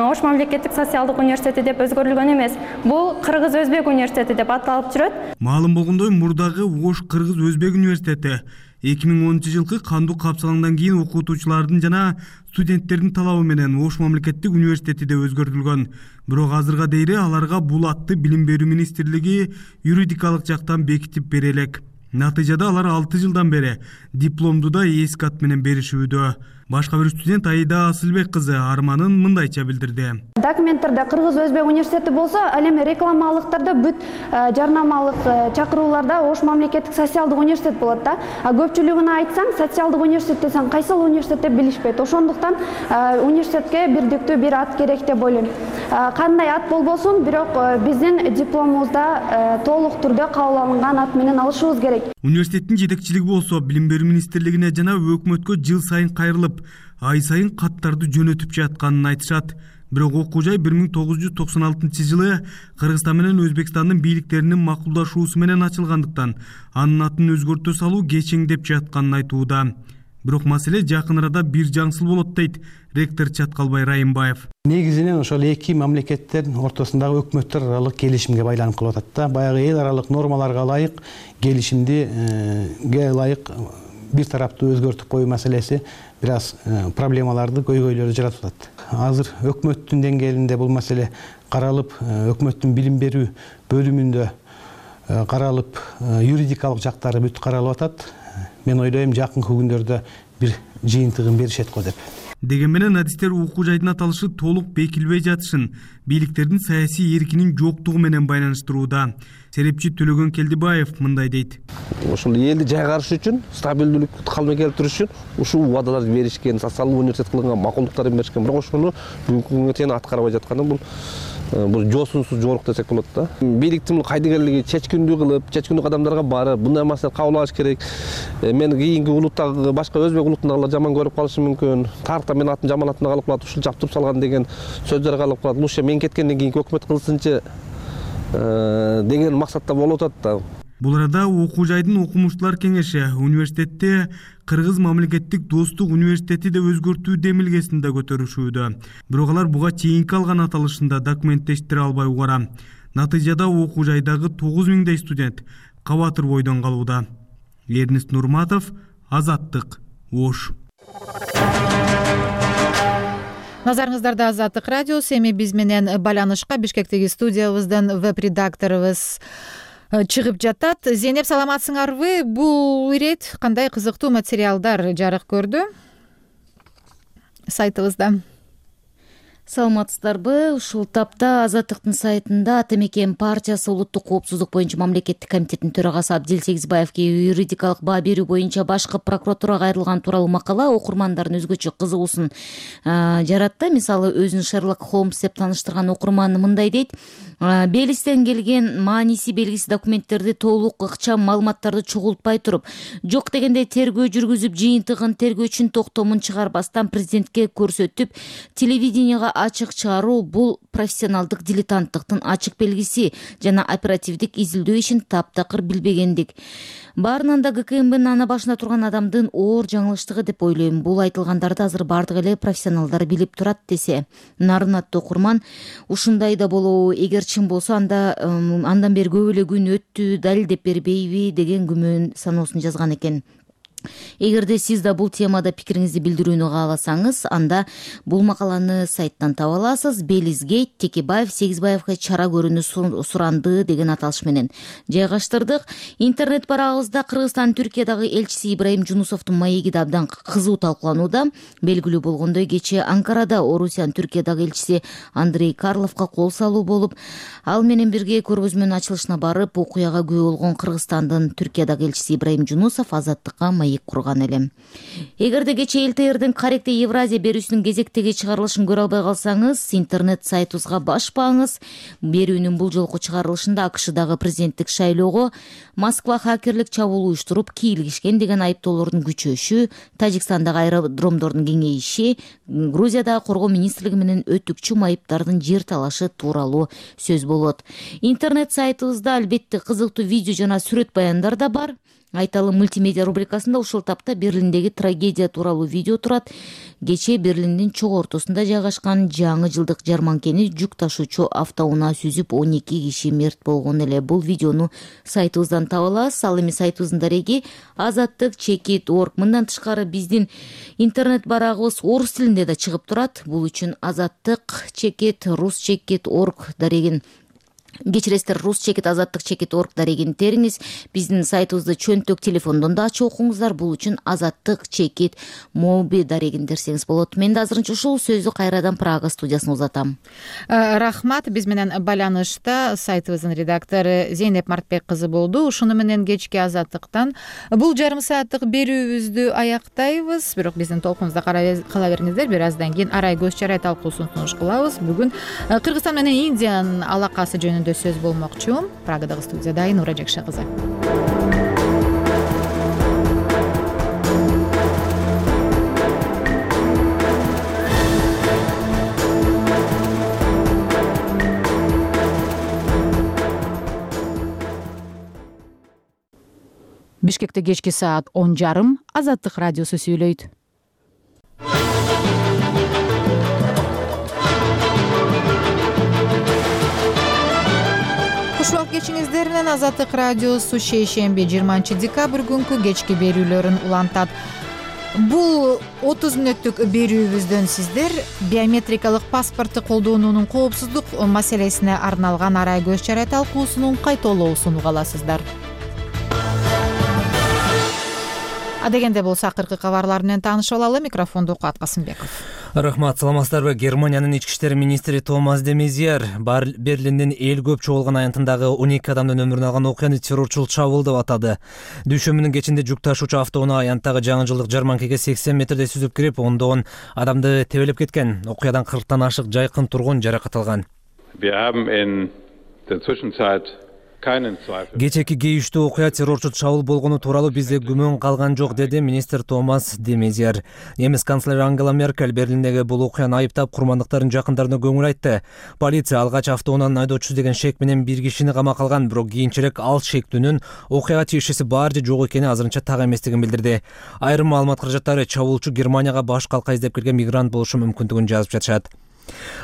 Ош мамлекеттик социалдык университети деп өзгөрүлгөн эмес. Бул Кыргыз-Өзбек университети деп аталып жүрөт. Маалым болгондой, мурдагы Ош Кыргыз-Өзбек университети 2010 кандуу капсалаңдан кийин окутуучулардын жана студенттердин талабы менен Ош мамлекеттик университети да өзгөртүлгөн. Бирок азырга дейре аларга бул атты Билим берүү министрлиги юридикалык жактан бекитип бере элек. Натыйжада алар 6 жылдан бери дипломду да эски ат менен беришүүдө. Башка бир студент Аида Асылбек кызы арманын мындайча билдирди. Документтерде Кыргыз Өзбек университети болсо, ал эми рекламалыктарда бүт жарнамалык чакырууларда Ош мамлекеттик социалдык университет болот да. Көпчүлүгүнө айтсаң, социалдык университет десең, кайсыл университет деп билишпейт. Ошондуктан университетке бирдиктүү бир ат керек деп ойлойм. Кандай ат болбосун, бирок биздин дипломубузда толук түрдө кабыл алынган ат менен алышыбыз керек. Университеттин жетекчилиги болсо Билим берүү министрлигине жана өкмөткө жыл сайын кайрылып, ай сайын каттарды жөнөтүп жатканын айтышат. Бирок окуу жай 1996 жылы Кыргызстан менен Өзбекстандын бийликтеринин макулдашуусу менен ачылгандыктан анын атын өзгөртө салуу кечеңдеп жатканын айтууда. Бирок маселе жакын арада бир жаңсыл болот дейт ректор Чаткалбай Райымбаев. Негизинен ошол эки мамлекеттин ортосундагы өкмөттөр аралык келишимге байланып калып атат да. Баягы эл аралык нормаларга ылайык келишимге ылайык бир тараптуу өзгөртүп коюу маселеси бир аз проблемаларды, көйгөйлөрдү жаратып атат. Азыр өкмөттүн деңгээлинде бул маселе каралып, өкмөттүн билим берүү бөлүмүндө каралып, юридикалык жактары бүт каралып атат. Мен ойлойм, жакынкы күндөрдө бир жыйынтыгын беришет го деп. Деген менен адистер окуу жайдын аталышы толук бекилбей жатышын бийликтердин саясий эркинин жоктугу менен байланыштырууда. Серепчи Төлөгөн Келдибаев мындай дейт. Ошол элди жайгарыш үчүн, стабилдүүлүктү калмай келтириш үчүн ушул убадаларды беришкен, социалдык университет кылган макулдуктарын беришкен. Бирок ошону бүгүнкү күнгө чейин аткарбай жатканы бул жоосунсуз жорук десек болот да. Бийликтин кайдыгерлиги чечкиндүү кылып, чечкиндүү кадамдарга барып, мындай маселе кабыл алыш керек. Мен кийинки улуттагы башка өзбек улутундагылар жаман көрүп калышы мүмкүн. Тарыхта мен атын жаман атына калып калат, ушул жаптырып салган деген сөздөр калып калат. Лучше мен кеткенден кийинки өкмөт кылсынчы деген максатта болуп атат да. Бул арада окуу жайдын окумуштуулар кеңеши университетте Кыргыз мамлекеттик достук университети деп өзгөртүү демилгесин да көтөрүшүүдө. Бирок алар буга чейинки алган аталышында документтештире албай угара. Натыйжада окуу жайдагы 9000дей студент кабатыр бойдон калууда. Эрнест Нурматов, Азаттык, Ош. Назарыңыздарда Азаттык радиосу. Эми биз менен байланышка Бишкектеги студиябыздан веб-редакторубуз чыгып жатат. Зейнеп, саламатсыңарбы? Бул ирет кандай кызыктуу материалдар жарык көрдү сайтыбызда? Саламатсыздарбы? Ушул тапта Азаттыктын сайтында Ата мекен партиясы улуттук коопсуздук боюнча мамлекеттик комитеттин төрагасы Абдил Сегизбаевге юридикалык баа берүү боюнча башкы прокуратурага кайрылган тууралуу макала окурмандардын өзгөчө кызыгуусун жаратты. Мисалы, өзүн Шерлок Холмс деп тааныштырган окурман мындай дейт: Белистен келген мааниси белгисиз документтерди толук ыкчам маалыматтарды чогултпай туруп, жок дегенде тергөө жүргүзүп, жыйынтыгын тергөөчүнүн токтомун чыгарбастан президентке көрсөтүп, телевиденияга ачык чыгаруу бул профессионалдык дилетанттыктын ачык белгиси жана оперативдик изилдөө ишин таптакыр билбегендик. Баарынан да ГКМБнын ана башында турган адамдын оор жаңылыштыгы деп ойлойм. Бул айтылгандарды азыр бардык эле профессионалдар билип турат десе. Нарын аттуу окурман ушундай да болобу, эгер чын болсо андан бери көп эле күн өттү, далилдеп бербейби деген күмөн саноосун жазган экен. Эгерде сиз да бул темада пикириңизди билдирүүнү кааласаңыз, анда бул макаланы сайттан таба аласыз. Белизгейт Текебаев Сегизбаевге чара көрүүнү суранды деген аталыш менен жайгаштырдык. Интернет барагыбызда Кыргызстан Түркиядагы элчиси Ибраим Жунусовдун маеги да абдан кызуу талкууланууда. Белгилүү болгондой, кечээ Анкарада Орусиянын Түркиядагы элчиси Андрей Карловго кол салуу болуп, ал менен бирге көргөзмөнүн ачылышына барып, окуяга күбө болгон Кыргызстандын Түркиядагы элчиси Ибраим Жунусов Азаттыкка курган элем. Эгерде кечээ ЛТРдин Каректе Евразия берүүсүнүн кезектеги чыгарылышын көрө албай калсаңыз, интернет сайтыбызга башпаңыз. Берүүнүн бул жолку чыгарылышында АКШдагы президенттик шайлоого Москва хакерлик чабуул уюштуруп кийлигишкен деген айыптоолордун күчөшү, Тажикстандагы аэродромдордун кеңейиши, Грузиядагы коргоо министрлиги менен өтүкчү майыптардын жер талашы тууралуу сөз болот. Интернет сайтыбызда албетте кызыктуу видео жана сүрөт баяндар да бар. Айталы мультимедиа рубрикасында ушул тапта Берлиндеги трагедия тууралуу видео турат. Кечээ Берлиндин чок ортосунда жайгашкан жаңы жылдык жарманкени жүк ташуучу автоунаа сүзүп 12 киши мерт болгон эле. Бул видеону сайтыбыздан таба аласыз. Ал эми сайтыбыздын дареги azattik.org. Мындан тышкары биздин интернет барагыбыз орус тилинде да чыгып турат. Бул үчүн azattik.rus.org дарегин кечиресиздер, rus.azattik.org дарегин териңиз. Биздин сайтыбызды чөнтөк телефондон да ачып окуңуздар. Бул үчүн azattik.mobi дарегин дерсеңиз болот. Мен да азырынча ушул сөздү кайрадан Прага студиясына узатам. Рахмат. Биз менен байланышта сайтыбыздын редактору Зейнеп Мартбек кызы болду. Ушуну менен кечки Азаттыктан бул жарым сааттык берүүбүздү аяктайбыз. Бирок биздин толкунубузда кала бериңиздер. Бир аздан кийин арай көз чарай талкуусун сунуш кылабыз. Бүгүн Кыргызстан менен Индиянын алакасы жөнүндө сөз болмокчу. Прагадагы студияда Айнура Жакша кызы. Бишкекте кечки саат 10:30 Азаттык радиосу сүйлөйт. Кушуак кечиңиздер менен Азаттык радиосу шейшемби 20 декабрь күнкү кечки берүүлөрүн улантат. Бул 30 мүнөттүк берүүбүздөн сиздер биометрикалык паспортты колдонуунун коопсуздук маселесине арналган арай көз чарай талкуусунун кайталоосун уга аласыздар. Адегенде болсо акыркы кабарлар менен таанышып алалы. Микрофонду Куат Касымбеков. Рахмат, саламатсыздарбы? Германиянын ички иштер министри Томас де Мезиер Берлиндин эл көп чогулган аянтындагы 12 адамдын өмүрүн алган окуяны террорчулук чабуул деп атады. Дүйшөмбүнүн кечинде жүк ташуучу автоунаа аянттагы жаңы жылдык жарманкеге 80 метрде сүзүп кирип, ондогон адамды тебелеп кеткен. Окуядан 40тан ашык жайкын тургун жаракат алган. Кечээки кейиштүү окуя террорчу чабуул болгону тууралуу бизде күмөн калган жок, деди министр Томас де Мезиер. Немис канцлери Ангела Меркель Берлиндеги бул окуяны айыптап, курмандыктардын жакындарына көңүл айтты. Полиция алгач автоунаанын айдоочусу деген шек менен бир кишини камакка алган, бирок кийинчерээк ал шектүүнүн окуяга тиешеси бар же жок экени азырынча так эместигин билдирди. Айрым маалымат каражаттары чабуулчу Германияга баш калка издеп келген мигрант болушу мүмкүндүгүн жазып жатышат.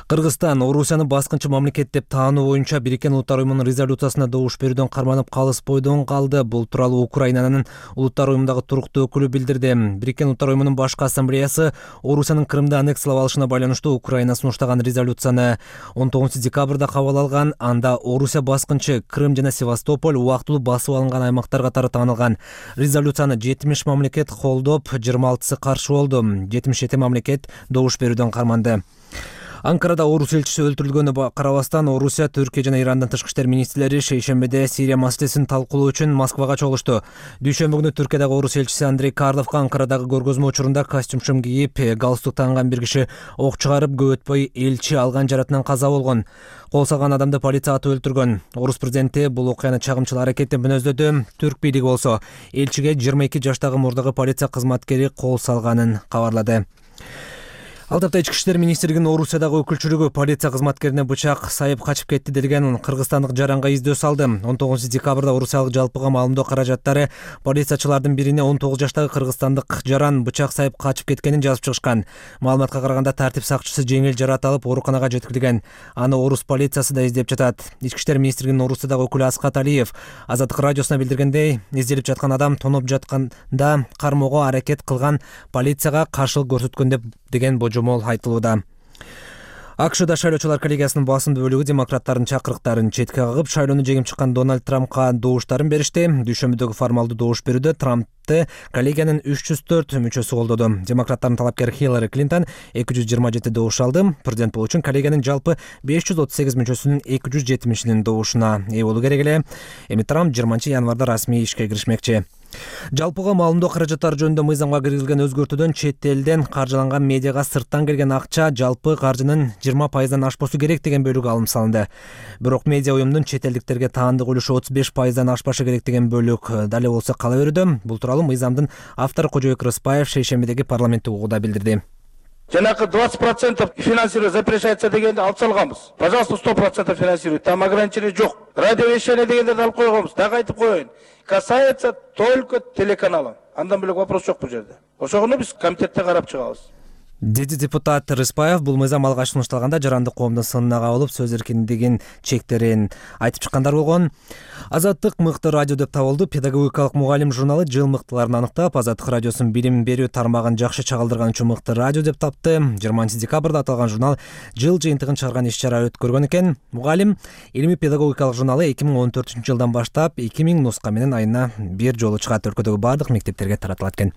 Кыргызстан Орусияны баскынчы мамлекет деп таануу боюнча Бириккен Улуттар уюмунун резолюциясына добуш берүүдөн карманып калыспойдон калды. Бул тууралуу Украинанын Улуттар уюмундагы туруктуу өкүлү билдирди. Бириккен Улуттар уюмунун башкы ассамблеясы Орусиянын Крымды аннексиялап алышына байланыштуу Украина сунуштаган резолюцияны 19 декабрда кабыл алган. Анда Орусия баскынчы Крым жана Севастополь убактылуу басып алынган аймактар катары таанылган. Резолюцияны 70 мамлекет колдоп, 26сы каршы болду. 77 мамлекет добуш берүүдөн карманды. Анкарада Орус элчиси өлтүрүлгөнүнө карабастан, Орусия, Түркия жана Ирандын тышкы иштер министрлери шейшембиде Сирия маселесин талкуулоо үчүн Москвага чогулушту. Дүйшөмбү күнү Түркиядагы Орус элчиси Андрей Карловго Анкарадагы көргөзмө учурунда костюм кийип, галстук танган бир киши ок чыгарып, көп өтпөй элчи алган жаратынан каза болгон. Кол салган адамды полиция атып өлтүргөн. Орус президенти бул окуяны чагымчыл аракет деп мүнөздөдү. Түрк бийлиги болсо элчиге 22 жаштагы мурдагы полиция кызматкери кол салганын кабарлады. Ал тапта ички иштер министрлигинин Орусиядагы өкүлчүлүгү полиция кызматкерине бычак сайып качып кетти делген кыргызстандык жаранга издөө салды. 19 декабрда Орусиялык жалпыга маалымдоо каражаттары полициячылардын бирине 19 жаштагы кыргызстандык жаран бычак сайып качып кеткенин жазып чыгышкан. Маалыматка караганда тартип сакчысы жеңил жарат алып ооруканага жеткирилген. Аны Орус полициясы да издеп жатат. Ички иштер министрлигинин Орусиядагы өкүлү Аскат Алиев Азаттык радиосуна билдиргендей, изделип жаткан адам тоноп жатканда кармоого аракет кылган, полицияга каршылык көрсөткөн деген божомол айтылууда. АКШда шайлоочулар коллегиясынын басымдуу бөлүгү демократтардын чакырыктарын четке кагып, шайлоону жеңип чыккан Дональд Трампка добуштарын беришти. Дүйшөмбүдөгү формалдуу добуш берүүдө Трампты коллегиянын 304 мүчөсү колдоду. Демократтардын талапкери Хиллари Клинтон 227 добуш алды. Президент болуу үчүн коллегиянын жалпы 538 мүчөсүнүн 270-нин добушуна ээ болуу керек эле. Эми Трамп 20 январда расмий ишке киришмекчи. Жалпыга маалымдоо каражаттары жөнүндө мыйзамга киргизилген өзгөртүүдөн чет элден каржыланган медиага сырттан келген акча жалпы каржынын 20%дан ашпосу керек деген бөлүгү алым салынды. Бирок медиа уюмдун чет элдиктерге таандык үлүшү 35%дан ашпашы керек деген бөлүк дале болсо кала берүүдө. Бул тууралуу мыйзамдын автору Кожобек Рыспаев шейшембидеги парламенттик угууда билдирди. Жанакы 20% финансировать запрещается дегенди алып салганбыз. Пожалуйста, 100% финансируйте. Там ограничение жок. Радиовещание дегендерди алып койгонбуз. Дагы айтып коеюн. Касается только телеканала. Андан бөлөк вопрос жок бул жерде. Ошону биз комитетте карап чыгабыз. Деди депутат Рыспаев бул мыйзам алгач сунушталганда жарандык коомдун сынына кабылып сөз эркиндигин чектерин айтып чыккандар болгон. Азаттык мыкты радио деп табылды. Педагогикалык мугалим журналы жыл мыктыларын аныктап, Азаттык радиосунун билим берүү тармагын жакшы чагылдырган үчүн мыкты радио деп тапты. 20 декабрда аталган журнал жыл жыйынтыгын чыгарган иш-чара өткөргөн экен. Мугалим илимий педагогикалык журналы 2014-жылдан баштап 2000 нуска менен айына бир жолу чыгат. Өлкөдөгү баардык мектептерге таратылат экен.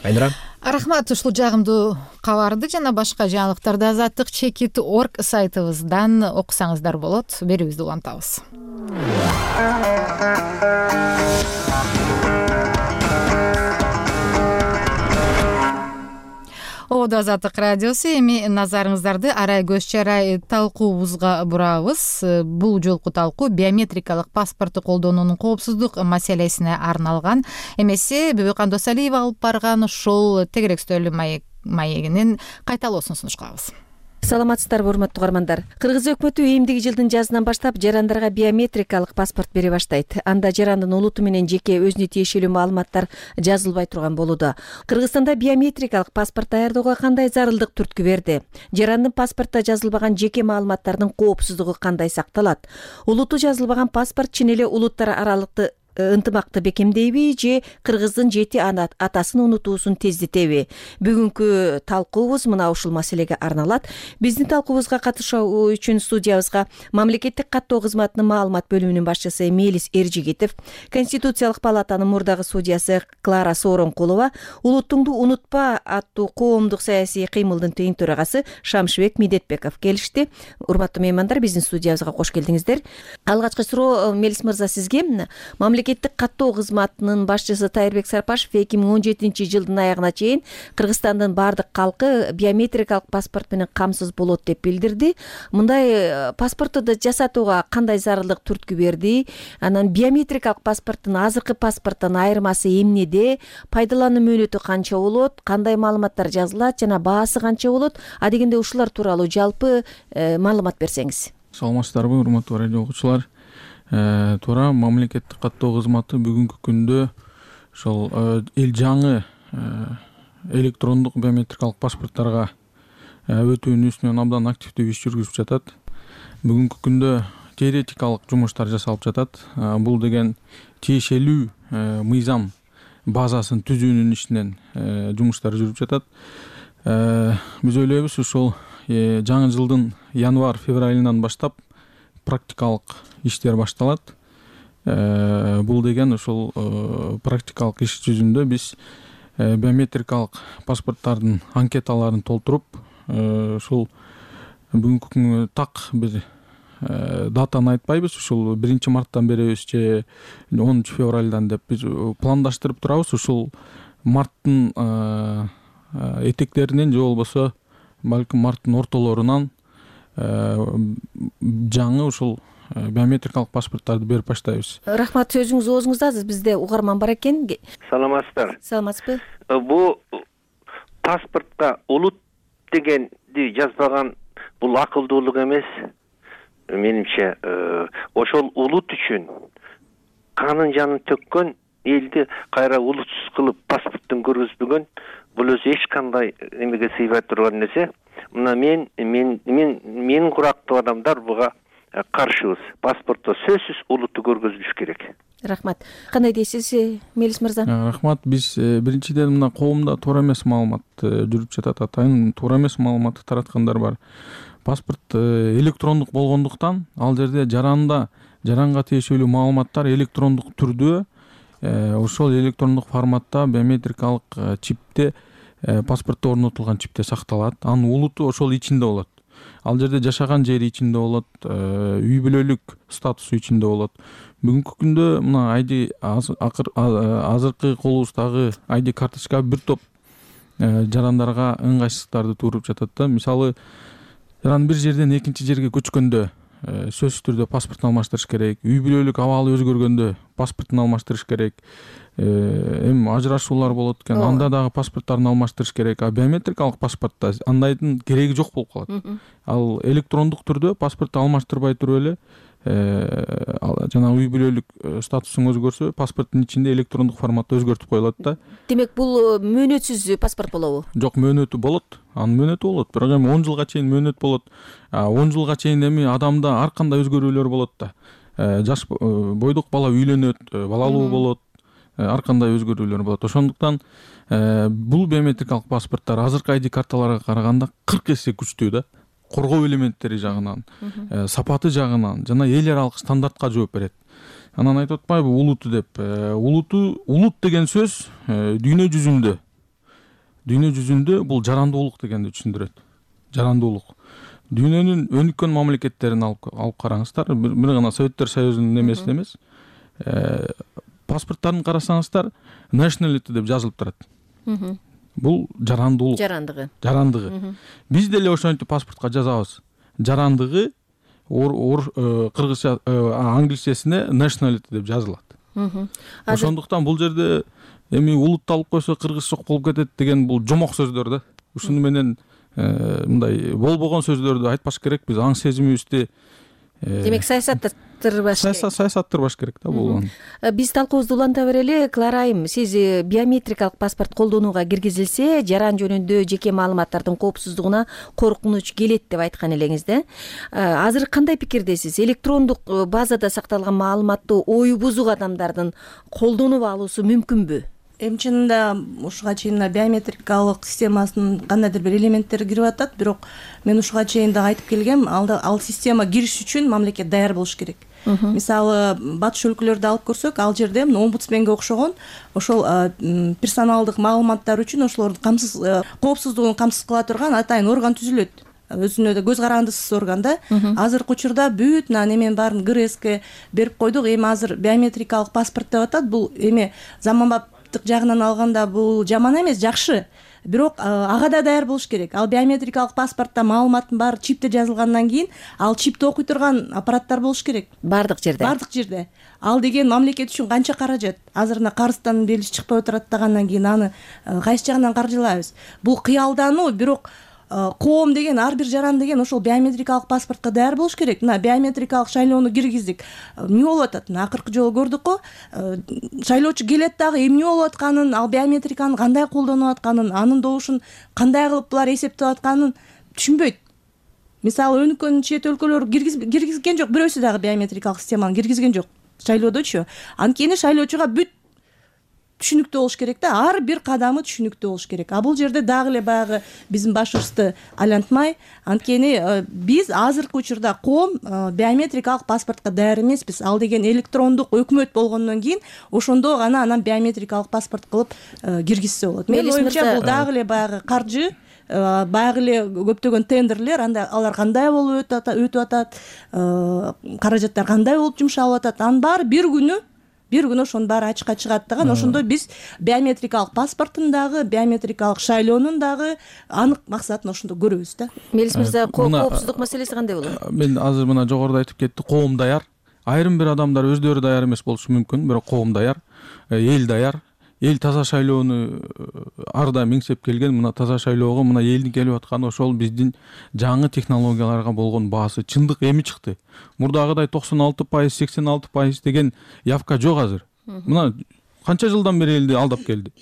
Айнура. Рахмат ушул жагымдуу кабарды жана башка жаңылыктарды Азаттык Чекит.org сайтыбыздан окусаңыздар болот. Берүүбүздү улантабыз. Ободо Азаттык радиосу. Эми назарыңыздарды арай көз чарай талкуубузга бурабыз. Бул жолку талкуу биометрикалык паспорту колдонуунун коопсуздук маселесине арналган. Эмесе Бөбөкан Досалиева алып барган ошол тегерек үстөлү маегинин кайталоосун сунуштабыз. Саламатсыздарбы, урматтуу угармандар. Кыргыз өкмөтү эмдиги жылдын жазынан баштап жарандарга биометрикалык паспорт бере баштайт. Анда жарандын улуту менен жеке өзүнө тиешелүү маалыматтар жазылбай турган болууда. Кыргызстанда биометрикалык паспорт даярдоого кандай зарылдык түрткү берди? Жарандын паспортто жазылбаган жеке маалыматтардын коопсуздугу кандай сакталат? Улуту жазылбаган паспорт чын эле улуттар аралыкты ынтымакты бекемдейби же кыргыздын жети атасын унутуусун тездетеби? Бүгүнкү талкуубуз мына ушул маселеге арналат. Биздин талкуубузга катышуу үчүн студиябызга мамлекеттик каттоо кызматынын маалымат бөлүмүнүн башчысы Мелис Эржигитов, Конституциялык палатанын мурдагы судьясы Клара Сооронкулова, Улуттуңду унутпа аттуу коомдук саясий кыймылдын тең төрагасы Шамшыбек Медетбеков келишти. Урматтуу меймандар, биздин студиябызга кош келдиңиздер. Алгачкы суроо Мелис мырза сизге. Мамлекеттик каттоо кызматынын башчысы Тайырбек Сарпашев 2017-жылдын аягына чейин Кыргызстандын баардык калкы биометрикалык паспорт менен камсыз болот деп билдирди. Мындай паспортду жасатууга кандай зарылдык түрткү берди? Анан биометрикалык паспорттун азыркы паспорттон айырмасы эмнеде? Пайдалануу мөөнөтү канча болот? Кандай маалыматтар жазылат жана баасы канча болот? Адегенде ушулар тууралуу жалпы маалымат берсеңиз. Саламатсыздарбы, урматтуу радио окуучулар. Туура, мамлекеттик каттоо кызматы бүгүнкү күндө ошол эл жаңы электрондук биометрикалык паспорттарга өтүүнүн үстүнөн абдан активдүү иш жүргүзүп жатат. Бүгүнкү күндө теоретикалык жумуштар жасалып жатат. Бул деген тиешелүү мыйзам базасын түзүүнүн ишинен жумуштар жүрүп жатат. Биз ойлойбуз, ушул жаңы жылдын январь-февралынан баштап практикалык иштер башталат. Бул деген ушул практикалык иш жүзүндө биз биометрикалык паспорттардын анкеталарын толтуруп, ушул бүгүнкү күнгө так бир датаны айтпайбыз, ушул 1-марттан беребиз же 10-февралдан деп биз пландаштырып турабыз. Ушул марттын этектеринен же болбосо балким марттын ортолорунан жаңы ушул биометрикалык паспорттарды берип баштайбыз. Рахмат, сөзүңүз оозуңузда. Бизде угарман бар экен. Саламатсыздар. Саламатсызбы? Бул паспортко улут дегенди жазбаган бул акылдуулук эмес. Менимче, ошол улут үчүн канын жанын төккөн элди кайра улутсуз кылып паспорттун көргөзбөгөн бул өзү эч кандай эмеге сыйбай турган нерсе. Мына мен курактуу адамдар буга каршыбыз. Паспортто сөзсүз улутту көргөзүлүш керек. Рахмат. Кандай дейсиз, Мелис мырза? Рахмат. Биз биринчиден мына коомдо туура эмес маалымат жүрүп жатат. Атайын туура эмес маалыматты тараткандар бар. Паспорт электрондук болгондуктан ал жерде жаранга тиешелүү маалыматтар электрондук түрдө ошол электрондук форматта биометрикалык чипте паспортто орнотулган чипте сакталат. Анын улуту ошол ичинде болот. Ал жерде жашаган жери ичинде болот, үй бүлөлүк статусу ичинде болот. Бүгүнкү күндө мына азыркы колубуздагы ID карточка бир топ жарандарга ыңгайсыздыктарды тууруп жатат да. Мисалы, жаран бир жерден экинчи жерге көчкөндө сөзсүз түрдө паспортун алмаштырыш керек. Үй бүлөлүк абалы өзгөргөндө паспортун алмаштырыш керек. Эми ажырашуулар болот экен, анда дагы паспорттарын алмаштырыш керек. А биометрикалык паспортто андайдын кереги жок болуп калат. Ал электрондук түрдө паспортту алмаштырбай туруп эле жана үй бүлөлүк статусуң өзгөрсө паспорттун ичинде электрондук форматта өзгөртүп коюлат да. Демек бул мөөнөтсүз паспорт болобу? Жок, мөөнөтү болот. Анын мөөнөтү болот. Бирок эми 10 жылга чейин мөөнөт болот. 10 жылга чейин эми адамда ар кандай өзгөрүүлөр болот да. Жаш бойдук бала үйлөнөт, балалуу болот, ар кандай өзгөрүүлөр болот. Ошондуктан бул биометрикалык паспорттор азыркы ID карталарга караганда 40 эсе күчтүү да. Коргоо элементтери жагынан, сапаты жагынан жана эл аралык стандартка жооп берет. Анан айтып атпайбы улуту деп. Улут деген сөз дүйнө жүзүндө бул жарандуулук дегенди түшүндүрөт. Жарандуулук. Дүйнөнүн өнүккөн мамлекеттерин алып караңыздар. Бир гана Советтер Союзунун немесин эмес. Паспорттарын карасаңыздар, nationality деп жазылып турат. Бул жарандуулук. Жарандыгы. Биз деле ошентип паспортко жазабыз. Жарандыгы кыргызча, англисчесине nationality деп жазылат. Ошондуктан бул жерде эми улутты алып койсо кыргыз жок болуп кетет деген бул жомок сөздөр да. Ушуну менен мындай болбогон сөздөрдү айтпаш керек. Биз аң сезимибизди демек саясаттырбаш керек да бул. Биз талкуубузду уланта берели. Клара айым, сиз биометрикалык паспорт колдонууга киргизилсе, жаран жөнүндө жеке маалыматтардын коопсуздугуна коркунуч келет деп айткан элеңиз да. Азыр кандай пикирдесиз? Электрондук базада сакталган маалыматты ою бузук адамдардын колдонуп алуусу мүмкүнбү? Эми чынында ушуга чейин биометрикалык системасынын кандайдыр бир элементтери кирип атат, бирок мен ушуга чейин да айтып келгем, ал система кириш үчүн мамлекет даяр болуш керек. Мисалы, батыш өлкөлөрдү алып көрсөк, ал жерде омбудсменге окшогон ошол персоналдык маалыматтар үчүн ошолордун коопсуздугун камсыз кыла турган атайын орган түзүлөт. Өзүнө да көз карандысыз орган да. Азыркы учурда бүт немен баарын ГРСке берип койдук. Эми азыр биометрикалык паспорт деп атат. Бул эми заманбаптык жагынан алганда бул жаман эмес, жакшы. Бирок ага да даяр болуш керек. Ал биометрикалык паспортто маалыматтын баары чипте жазылгандан кийин ал чипти окуй турган аппараттар болуш керек. Бардык жерде. Ал деген мамлекет үчүн канча каражат? Азыр карыздан белгиси чыкпай отурат дегендан кийин аны кайсы жагынан каржылайбыз? Бул кыялдануу, бирок коом деген, ар бир жаран деген ошол биометрикалык паспортко даяр болуш керек. Мына биометрикалык шайлоону киргиздик. Эмне болуп атат? Акыркы жолу көрдүк го, шайлоочу келет дагы эмне болуп атканын, ал биометриканы кандай колдонуп атканын, анын добушун кандай кылып булар эсептеп атканын түшүнбөйт. Мисалы, өнүккөн чет өлкөлөр киргизген жок, бирөөсү дагы биометрикалык системаны киргизген жок шайлоодочу. Анткени шайлоочуга бүт түшүнүктүү болуш керек да, ар бир кадамы түшүнүктүү болуш керек. А бул жерде дагы эле баягы биздин башыбызды айлантмай, анткени биз азыркы учурда коом биометрикалык паспортко даяр эмеспиз. Ал деген электрондук өкмөт болгондон кийин ошондо гана анан биометрикалык паспорт кылып киргизсе болот. Менин оюмча бул дагы эле баягы каржы, баягы эле көптөгөн тендерлер, алар кандай болуп өтүп атат, каражаттар кандай болуп жумшалып атат, анын баары бир күнү ошонун баары ачыкка чыгат дагы. Ошондо биз биометрикалык паспорттун дагы, биометрикалык шайлоонун дагы анык максатын ошондо көрөбүз да. Мелис мырза, коопсуздук маселеси кандай болот? Мен азыр мына жогоруда айтып кетти, коом даяр. Айрым бир адамдар өздөрү даяр эмес болушу мүмкүн, бирок коом даяр, эл даяр. Эл таза шайлоону ар дайым миңсеп келген. Мына таза шайлоого мына элдин келип атканы ошол биздин жаңы технологияларга болгон баасы. Чындык эми чыкты. Мурдагыдай 96%, 86% деген явка жок азыр. Мына канча жылдан бери элди алдап келди.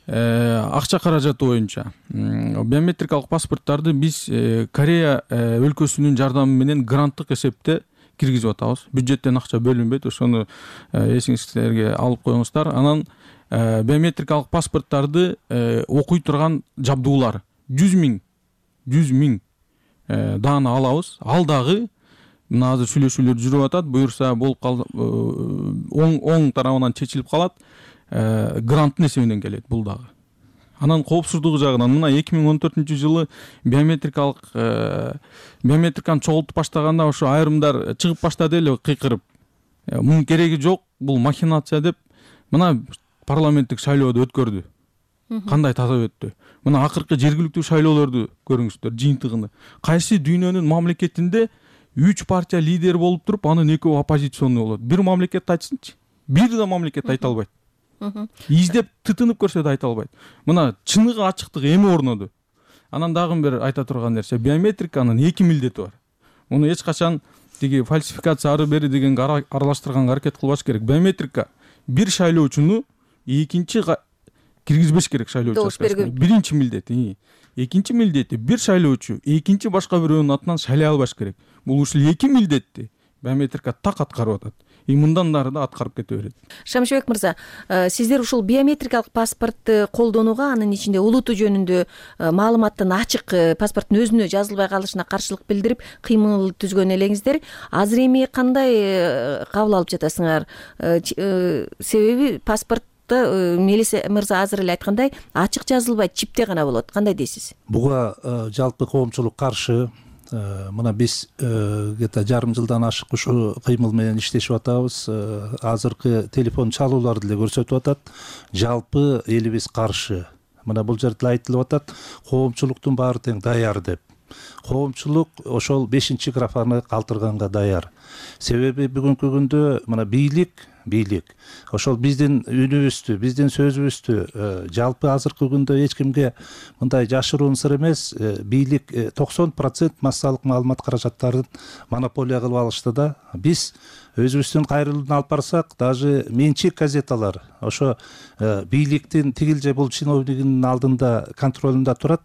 Акча каражаты боюнча биометрикалык паспорттарды биз Корея өлкөсүнүн жардамы менен гранттык эсепте киргизип атабыз. Бюджеттен акча бөлүнбөйт. Ошону эсиңизге алып коюңуздар. Анан биометрикалык паспорттарды окуй турган жабдуулар 100 миң даана алабыз. Ал дагы мына азыр сүйлөшүүлөр жүрүп атат. Буюрса болуп калды, оң тарабынан чечилип калат. Гранттын эсебинен келет бул дагы. Анан коопсуздугу жагынан мына 2014-жылы биометриканы чогултуп баштаганда ошо айрымдар чыгып баштады эле кыйкырып. Мунун кереги жок, бул махинация деп мына парламенттик шайлоодо өткөрдү. Кандай таза өттү. Мына акыркы жергиликтүү шайлоолорду көрүңүздөр, жыйынтыгын. Кайсы дүйнөнүн мамлекетинде 3 партия лидери болуп туруп анын экөө оппозиционный болот. Бир мамлекет айтсынчы. Бир да мамлекет айта албайт. Издеп тытынып көрсө да айта албайт. Мына чыныгы ачыктык эми орноду. Анан дагы бир айта турган нерсе, биометриканын 2 милдети бар. Муну эч качан тиги фальсификация ары бери дегенге аралаштырганга аракет кылбаш керек. Биометрика бир шайлоочуну экинчи киргизбеш керек шайлоо учаскасына. Биринчи милдети. Экинчи милдети бир шайлоочу экинчи башка бирөөнүн атынан шайлай албаш керек. Бул ушул 2 милдетти биометрика так аткарып атат. Мындан нары да аткарып кете берет. Шамшыбек мырза, сиздер ушул биометрикалык паспортты колдонууга, анын ичинде улуту жөнүндө маалыматтын ачык паспорттун өзүнө жазылбай калышына каршылык билдирип кыймыл түзгөн элеңиздер. Азыр эми кандай кабыл алып жатасыңар? Себеби паспорт Мелис мырза азыр эле айткандай ачык жазылбай чипте гана болот. Кандай дейсиз? Буга жалпы коомчулук каршы. Мына биз где-то жарым жылдан ашык ушу кыймыл менен иштешип атабыз. Азыркы телефон чалуулар деле көрсөтүп атат. Жалпы элибиз каршы. Мына бул жерде айтылып атат, коомчулуктун баары тең даяр деп. Коомчулук ошол 5-графаны калтырганга даяр. Себеби бүгүнкү күндө мына бийлик ошол биздин үнүбүздү, биздин сөзүбүздү жалпы азыркы күндө эч кимге мындай жашыруун сыр эмес, бийлик 90% массалык маалымат каражаттарын монополия кылып алышты да. Биз өзүбүздүн кайрылууну алып барсак, даже менчик газеталар ошо бийликтин тигил же бул чиновнигинин алдында контролунда турат.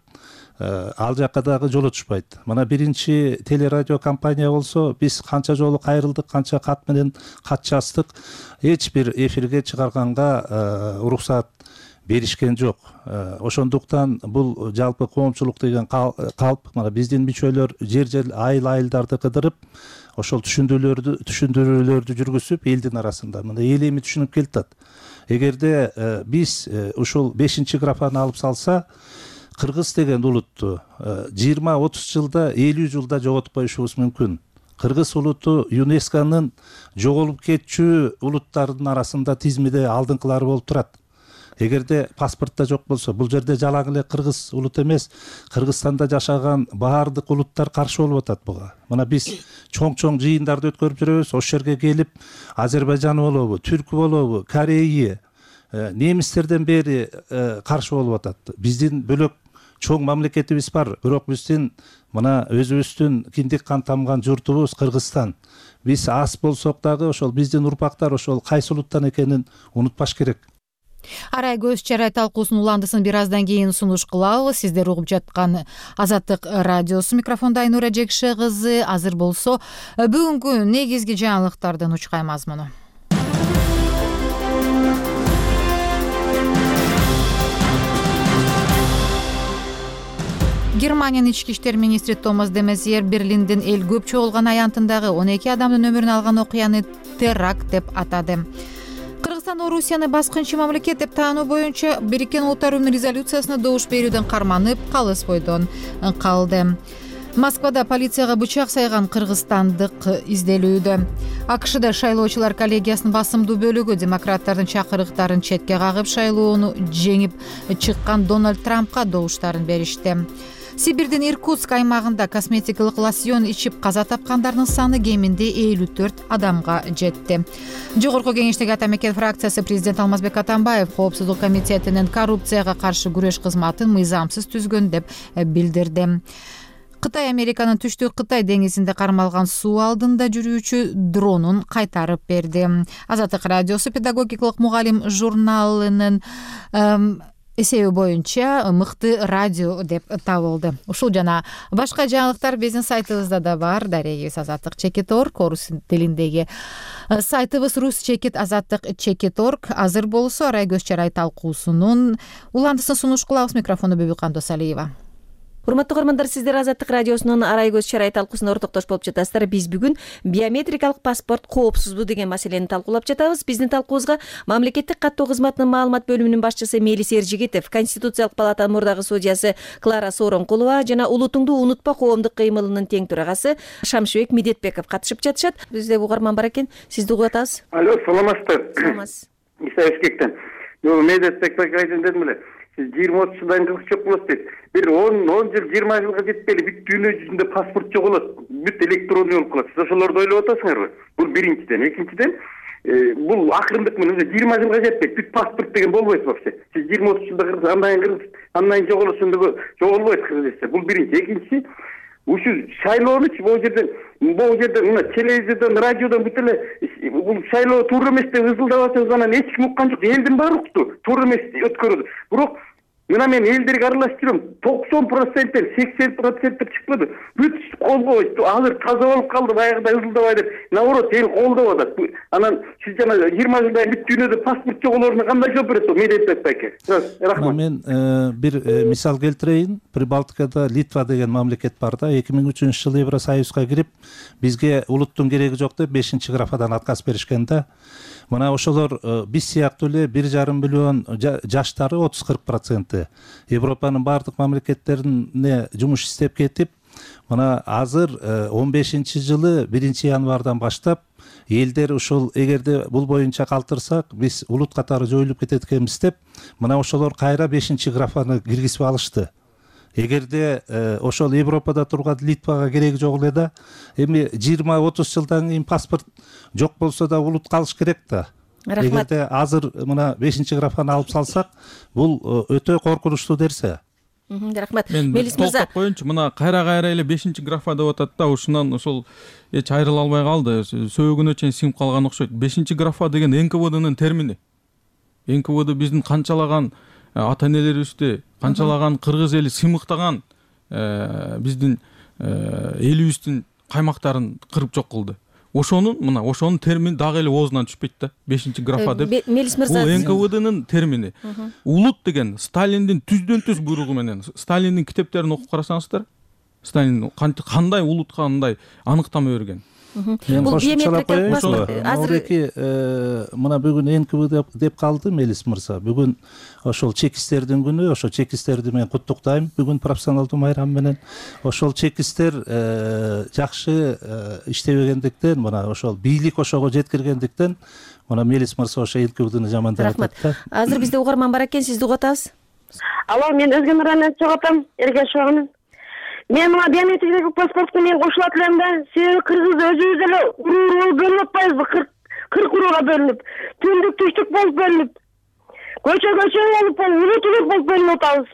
Ал жакка дагы жолотушпайт. Мына биринчи телерадио компания болсо, биз канча жолу кайрылдык, канча кат менен кат жаздык, эч бир эфирге чыгарганга уруксат беришкен жок. Ошондуктан бул жалпы коомчулук деген калп, мына биздин мүчөлөр жер айыл-айылдарды кыдырып, ошол түшүндүрүүлөрдү жүргүзүп элдин арасында мына эл эми түшүнүп келатат. Эгерде биз ушул 5-графаны алып салса, кыргыз деген улутту 20-30 жылда, 50 жылда жоготпоюшубуз мүмкүн. Кыргыз улуту ЮНЕСКОнун жоголуп кетчү улуттардын арасында тизмеде алдыңкылары болуп турат. Эгерде паспортто жок болсо, бул жерде жалаң эле кыргыз улут эмес, Кыргызстанда жашаган баардык улуттар каршы болуп атат буга. Мына биз чоң-чоң жыйындарды өткөрүп жүрөбүз, ошол жерге келип Азербайжан болобу, түркү болобу, Корея, немистерден бери каршы болуп атат. Биздин бөлөк чоң мамлекетибиз бар, бирок биздин мына өзүбүздүн киндик кан тамган журтубуз Кыргызстан. Биз аз болсок дагы ошол биздин урпактар ошол кайсы улуттан экенин унутпаш керек. Арай көз чарай талкуусунун уландысын бир аздан кийин сунуш кылабыз. Сиздер угуп жаткан Азаттык радиосу, микрофондо Айнура Жекше кызы. Азыр болсо бүгүнкү негизги жаңылыктардын учкай мазмуну. Германиянын ички иштер министри Томас де Мезьер Берлиндин эл көп чогулган аянтындагы 12 адамдын өмүрүн алган окуяны теракт деп атады. Кыргызстан Орусияны баскынчы мамлекет деп таануу боюнча Бириккен Улуттар Уюмунун резолюциясына добуш берүүдөн карманып, калыс бойдон калды. Москвада полицияга бычак сайган кыргызстандык изделүүдө. АКШда шайлоочулар коллегиясынын басымдуу бөлүгү демократтардын чакырыктарын четке кагып, шайлоону жеңип чыккан Дональд Трампка добуштарын беришти. Сибирдин Иркутск аймагында косметикалык лосьон ичип каза тапкандардын саны кеминде 54 адамга жетти. Жогорку кеңештеги ата мекен фракциясы президент Алмазбек Атамбаев Коопсуздук комитетинин коррупцияга каршы күрөш кызматын мыйзамсыз түзгөн деп билдирди. Кытай Американын түштүк Кытай деңизинде кармалган суу алдында жүрүүчү дронун кайтарып берди. Азаттык радиосу педагогикалык мугалим журналынын эсеби боюнча мыкты радио деп табылды. Ушул жана башка жаңылыктар биздин сайтыбызда да бар. Дарегибиз azattik.org, орус тилиндеги сайтыбыз ruschekit.azattik.org. Азыр болсо Арай көз чарай талкуусунун уландысын сунуш кылабыз. Микрофону Бөбүкан Досалиева. Урматтуу көрөрмандар, сиздер Азаттык радиосунун Арай көз чарай талкуусуна ортоктош болуп жатасыздар. Биз бүгүн биометрикалык паспорт коопсузбу деген маселени талкуулап жатабыз. Биздин талкуубузга мамлекеттик каттоо кызматынын маалымат бөлүмүнүн башчысы Мелис Эржигитов, Конституциялык палатанын мурдагы судьясы Клара Сооронкулова жана Улутуңду унутпа коомдук кыймылынын тең төрагасы Шамшыбек Медетбеков катышып жатышат. Бизде угарман бар экен. Сизди угуп атабыз. Алло, саламатсыздар. Саламатсыз. Исаевскиктен. Медетбек айтын дедим эле. сиз 20-30 жылдан кийин жок болот дейт. Бир 10 жыл 20 жылга жетпейли бүт дүйнө жүзүндө паспорт жоголот, бүт электронный болуп калат. Сиз ошолорду ойлоп атасыңарбы? Бул биринчиден. Экинчиден, бул акырындык менен 20 жылга жетпейт. Бүт паспорт деген болбойт вообще. Сиз 20-30 жылда андан кийин жоголосондо жоголбойт кыргызча. Бул биринчи. Экинчиси, ушу шайлоонучу могу жерде мына телевизордон, радиодон бүт эле бул шайлоо туура эмес деп ызылдап атабыз, анан эч ким уккан жок. Элдин баары укту. Туура эмес өткөрүүдө. Бирок мына мен элдерге аралашып жүрөм. 90%, 80% чыкпады. Бүт колгойт. Азыр таза болуп калды, баягыда ызылдабай деп. Наоборот, эл колдоп атат. Анан сиз жана 20 жылда бүт дүйнөдө паспорт жоголоруна кандай жооп берет? Медет байке. Рахмат. Мен бир мисал келтирейин. Прибалтикада Литва деген мамлекет бар да. 2003 жылы Евросоюзга кирип, бизге улуттун кереги жок деп 5-графадан отказ беришкен да. Мына ошолор биз сыяктуу эле 1,5 миллион жаштары 30-40%. Европанын бардык мамлекеттерине жумуш иштеп кетип, мына азыр 15-жылы 1-январдан баштап элдер ушул эгерде бул боюнча калтырсак, биз улут катары жоюлуп кетет экенбиз деп, мына ошолор кайра 5-графаны киргизип алышты. Эгерде ошол Европада турган Литвага кереги жок эле да, эми 20-30 жылдан кийин паспорт жок болсо да улут калыш керек да. Эгерде азыр мына 5-графаны алып салсак, бул өтө коркунучтуу нерсе. Рахмат. Мелис мырза, токтоп коеюнчу, мына кайра эле 5-графа деп атат да, ушунан ошол эч айрыла албай калды, сөөгүнө чейин сиңип калган окшойт. 5-графа деген НКВДнын термини. НКВД биздин канчалаган ата-энелерибизди, канчалаган кыргыз эли сыймыктаган биздин элибиздин каймактарын кырып жок кылды. Ошонун термини дагы эле оозунан түшпөйт да. 5-графа деп. Мелис мырза, бул НКВДнын термини. Улут деген Сталиндин түздөн-түз буйругу менен, Сталиндин китептерин окуп карасаңыздар, Сталин кандай улутка кандай аныктама берген. Бул биометрикалык паспорт азыр мына бүгүн НКВД деп калды Мелис мырза. Бүгүн ошол чекистердин күнү, ошол чекистерди мен куттуктайм бүгүн профессионалдуу майрам менен. Ошол чекистер жакшы иштебегендиктен, мына ошол бийлик ошого жеткиргендиктен, мына Мелис мырза ошо НКВДны жамандап атат да. Азыр бизде угарман бар экен, сизди угуп атабыз. Алло, мен Өзгөн районунан чыгып атам, Эргешовмун. Мен мына биометрикалык паспортко мен кошулат элем да. Себеби кыргыз өзүбүз эле уруу бөлүп атпайбызбы? 40 урууга бөлүнүп, түндүк түштүк болуп бөлүнүп, көчө болуп, улут болуп бөлүнүп атабыз.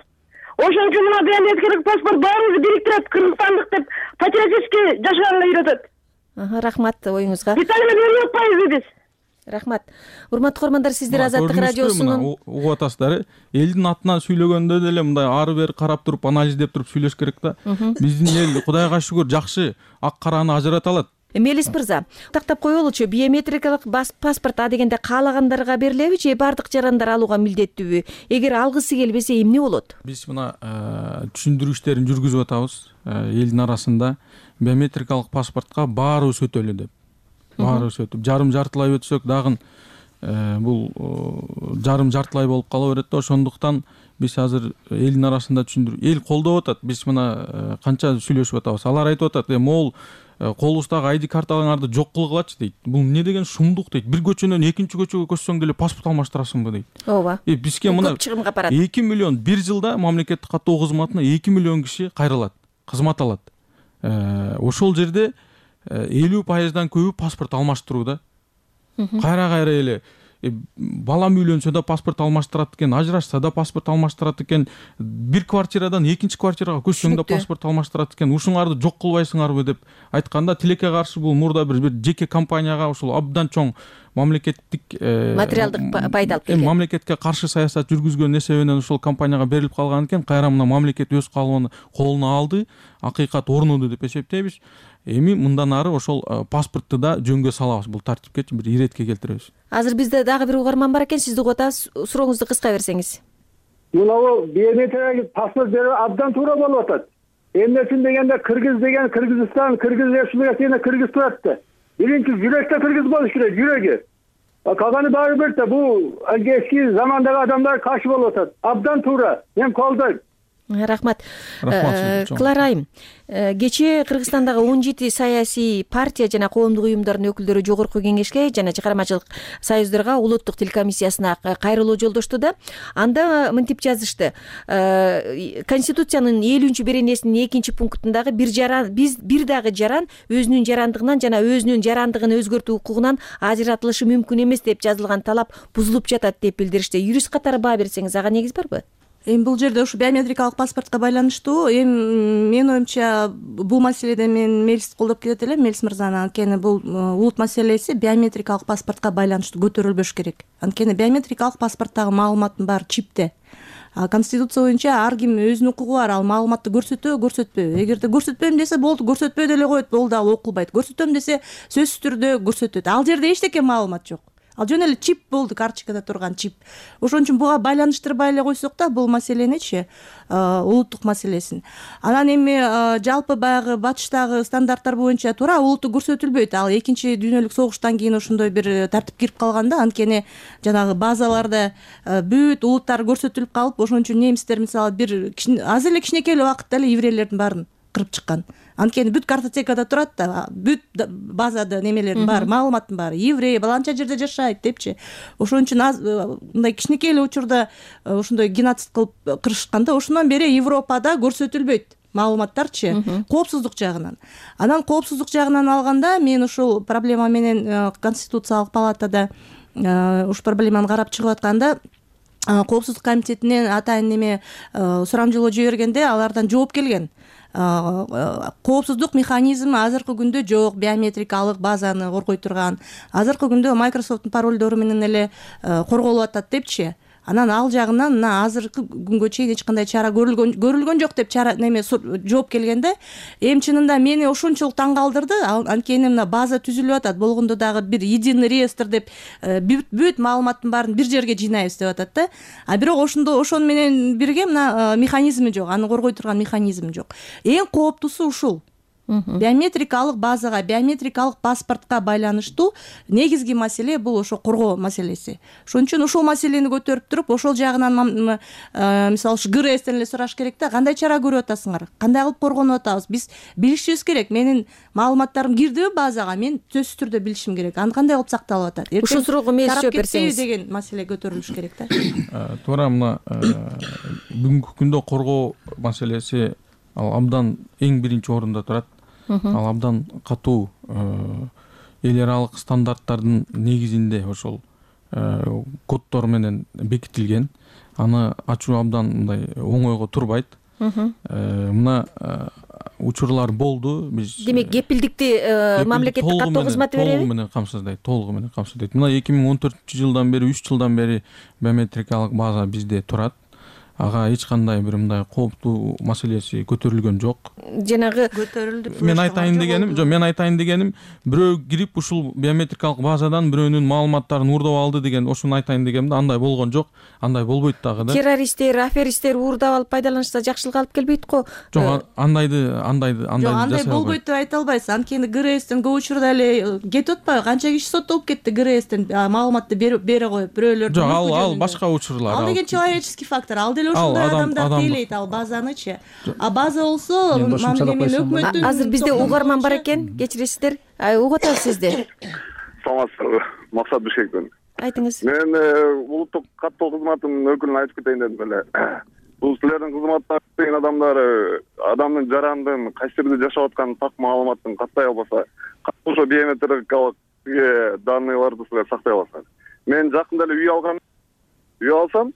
Ошон үчүн мына биометрикалык паспорт баарыбызды бириктирет, кыргызстандык деп патриотически жашаганга үйрөтөт. Рахмат оюңузга. Биз аны бөлүп атпайбызбы биз? Рахмат. Урматтуу көрөрмандар, сиздер Азаттык радиосунун угуп атасыздар. Элдин атынан сүйлөгөндө деле мындай ары бери карап туруп, анализдеп туруп сүйлөш керек да. Биздин эл Кудайга шүгүр жакшы ак караны ажырата алат. Мелис мырза, тактап коелучу, биометрикалык паспорт дегенде каалагандарга берилеби же бардык жарандар алууга милдеттүүбү? Эгер алгысы келбесе эмне болот? Биз мына түшүндүрүү иштерин жүргүзүп атабыз элдин арасында. Биометрикалык паспортко баарыбыз өтөлү деп. Баарыбыз өтүп, жарым-жартылай өтсөк дагы бул жарым-жартылай болуп кала берет да. Ошондуктан биз азыр элдин арасында түшүндүрүү, эл колдоп атат. Биз мына канча сүйлөшүп атабыз. Алар айтып атат, могул колубуздагы ID карталарыңарды жок кылгылачы дейт. Бул эмне деген шумдук дейт. Бир көчөнөн экинчи көчөгө көчсөң деле паспорт алмаштырасыңбы дейт. Ооба. Бизге мына 2 миллион бир жылда мамлекеттик каттоо кызматына 2 миллион киши кайрылат, кызмат алат. Ошол жерде 50%дан көбү паспорт алмаштырууда. Кайра эле балам үйлөнсө да паспорт алмаштырат экен, ажырашса да паспорт алмаштырат экен, бир квартирадан экинчи квартирага көчсөң да паспорт алмаштырат экен. Ушуңарды жок кылбайсыңарбы деп айтканда, тилекке каршы бул мурда бир жеке компанияга ушул абдан чоң мамлекеттик материалдык пайда алып келген. Мамлекетке каршы саясат жүргүзгөн эсебинен ушул компанияга берилип калган экен. Кайра мына мамлекет өз колуна алды, акыйкат орнуду деп эсептейбиз. Эми мындан ары ошол паспортты да жөнгө салабыз, бул тартипке бир иретке келтиребиз. Азыр бизде дагы бир угарман бар экен, сизди угуп атабыз. Сурооңузду кыска берсеңиз. Мына биометрикалык паспорт берүү абдан туура болуп атат. Эмнесин дегенде кыргыз деген Кыргызстан, Кыргыз Республикасында кыргыз турат да. Биринчи жүрөктө кыргыз болуш керек, жүрөгү. Калганы баары бир да, бул эски замандагы адамдар каршы болуп атат. Абдан туура. Мен колдойм. Рахмат. Клара айым, кечээ Кыргызстандагы 17 саясий партия жана коомдук уюмдардын өкүлдөрү жогорку кеңешке жана чыгармачылык союздарга улуттук тил комиссиясына кайрылуу жолдошту да. Анда мынтип жазышты: Конституциянын 50-беренесинин 2-пунктундагы бир дагы жаран өзүнүн жарандыгынан жана өзүнүн жарандыгын өзгөртүү укугунан ажыратылышы мүмкүн эмес деп жазылган талап бузулуп жатат деп билдиришти. Юрист катары баа берсеңиз, ага негиз барбы? Эми бул жерде ушу биометрикалык паспортко байланыштуу. Эми менин оюмча бул маселеде мен Мелисти колдоп кетет элем, Мелис мырзаны. Анткени бул улут маселеси биометрикалык паспортко байланыштуу көтөрүлбөш керек. Анткени биометрикалык паспорттагы маалыматтын баары чипте. Конституция боюнча ар ким өзүнүн укугу бар, ал маалыматты көрсөтөбү, көрсөтпөйбү. Эгерде көрсөтпөйм десе болду, көрсөтпөй деле коет, бул дагы окулбайт. Көрсөтөм десе сөзсүз түрдө көрсөтөт. Ал жерде эчтеке маалымат жок. Ал жөн эле чип болду, карточкада турган чип. Ошон үчүн буга байланыштырбай эле койсок да, бул маселеничи, улуттук маселесин. Анан эми жалпы баягы батыштагы стандарттар боюнча туура улутту көрсөтүлбөйт. Ал 2-дүйнөлүк согуштан кийин ошондой бир тартип кирип калган да, анткени жанагы базаларда бүт улуттар көрсөтүлүп калып, ошон үчүн немистер мисалы бир азыр эле кичинекей эле убакытта эле еврейлердин баарын кырып чыккан. Анткени бүт картотекада турат да, бүт базада немелердин баары, маалыматтын баары, еврей баланча жерде жашайт депчи. Ошон үчүн мындай кичинекей эле учурда ошондой геноцид кылып кырышканда, ошондон бери Европада көрсөтүлбөйт маалыматтарчы, коопсуздук жагынан. Анан коопсуздук жагынан алганда мен ушул проблема менен Конституциялык палатада ушу проблеманы карап чыгып атканда, коопсуздук комитетинен атайын неме сурамжылоо жибергенде алардан жооп келген. Коопсуздук механизми азыркы күндө жок, биометрикалык базаны коргой турган. Азыркы күндө Microsoft'тун паролдору менен эле корголуп атат депчи. Анан ал жагынан азыркы күнгө чейин эч кандай чара көрүлгөн жок деп жооп келгенде, эми чынында мени ошончолук таң калтырды. Анткени мына база түзүлүп атат, болгондо дагы бир единый реестр деп бүт маалыматтын баарын бир жерге жыйнайбыз деп атат да. А бирок ошону менен бирге мына механизми жок, аны коргой турган механизм жок. Эң кооптуусу ушул. Биометрикалык базага, биометрикалык паспортко байланыштуу негизги маселе бул ошо коргоо маселеси. Ошон үчүн ушул маселени көтөрүп туруп, ошол жагынан мисалы ушу ГРСтен эле сураш керек да, кандай чара көрүп атасыңар, кандай кылып коргонуп атабыз, биз билишибиз керек. Менин маалыматтарым кирдиби базага, мен сөзсүз түрдө билишим керек. Аны кандай кылып сакталып атат? Ушул суроого мес жооп берсеңиз деген маселе көтөрүлүш керек да. Туура мына бүгүнкү күндө коргоо маселеси ал абдан эң биринчи орунда турат. Ал абдан катуу эл аралык стандарттардын негизинде ошол коддор менен бекитилген. Аны ачуу абдан мындай оңойго турбайт. Мына учурлар болду. Биз демек кепилдикти мамлекеттик каттоо кызматы береби? Толугу менен камсыздайт, толугу менен камсыздайт. Мына 2014-жылдан бери, 3 жылдан бери биометрикалык база бизде турат. Ага эч кандай бир мындай кооптуу маселеси көтөрүлгөн жок. Жанагы көтөрүлдү. Мен айтайын дегеним, бирөө кирип ушул биометрикалык базадан бирөөнүн маалыматтарын уурдап алды деген, ошону айтайын дегенде андай болгон жок, андай болбойт дагы да. Террористтер, аферисттер уурдап алып пайдаланышса жакшылык алып келбейт го. Жок, андайды Жок, андай болбойт деп айта албайсыз. Анткени ГРСтен көп учурда эле кетип атпайбы? Канча киши соттолуп кетти ГРСтен маалыматты бере коюп, бирөөлөр. Жок, ал башка учурлар. Ал деген человеческий фактор. Ал деле ошондой адамдар тейлейт ал базанычы. А база болсо өкмөттүн. Азыр бизде угарман бар экен, кечиресиздер. Угуп атабыз сизди. Саламатсыздарбы? Максат Бишекпен. Айтыңыз. Мен улуттук каттоо кызматынын өкүлүнө айтып кетейин дедим эле. Бул силердин кызматтар деген адамдар адамдын жарандын кайсы жерде жашап атканын так маалыматын каттай албаса, ошо биометрикалык данныйларды силер сактай аласыңар. Мен жакында эле үй алгам. Үй алсам,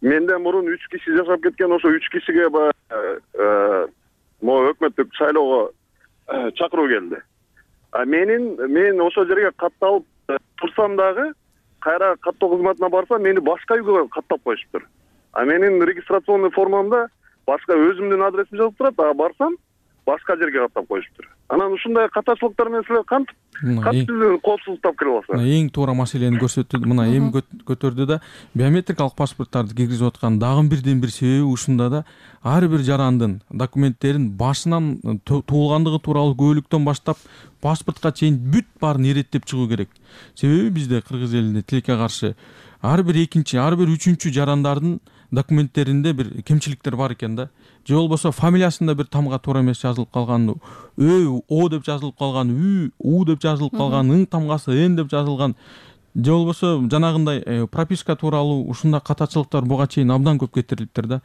менден мурун 3 киши жашап кеткен, ошо 3 кишиге өкмөттүк шайлоого чакыруу келди. Мен ошол жерге катталып турсам дагы, кайра каттоо кызматына барсам, мени башка үйгө каттап коюшуптур. Менин регистрационный формамда башка өзүмдүн адресим жазылып турат, барсам башка жерге каттап коюшуптур. Анан ушундай катачылыктар менен силер кантип коопсуздуктап кире аласыңар? Эң туура маселени көрсөттү. Мына эми көтөрдү да, биометрикалык паспорттарды киргизип аткан дагы бирден бир себеби ушунда да, ар бир жарандын документтерин башынан туулгандыгы тууралуу күбөлүктөн баштап паспортко чейин бүт баарын иреттеп чыгуу керек. Себеби бизде кыргыз элинде тилекке каршы ар бир экинчи, ар бир үчүнчү жарандардын документтеринде бир кемчиликтер бар экен да. Же болбосо фамилиясында бир тамга туура эмес жазылып калган, о деп жазылып калган, у деп жазылып калган, ың тамгасы н деп жазылган. Же болбосо жанагындай прописка тууралуу ушундай катачылыктар буга чейин абдан көп кетирилиптир да.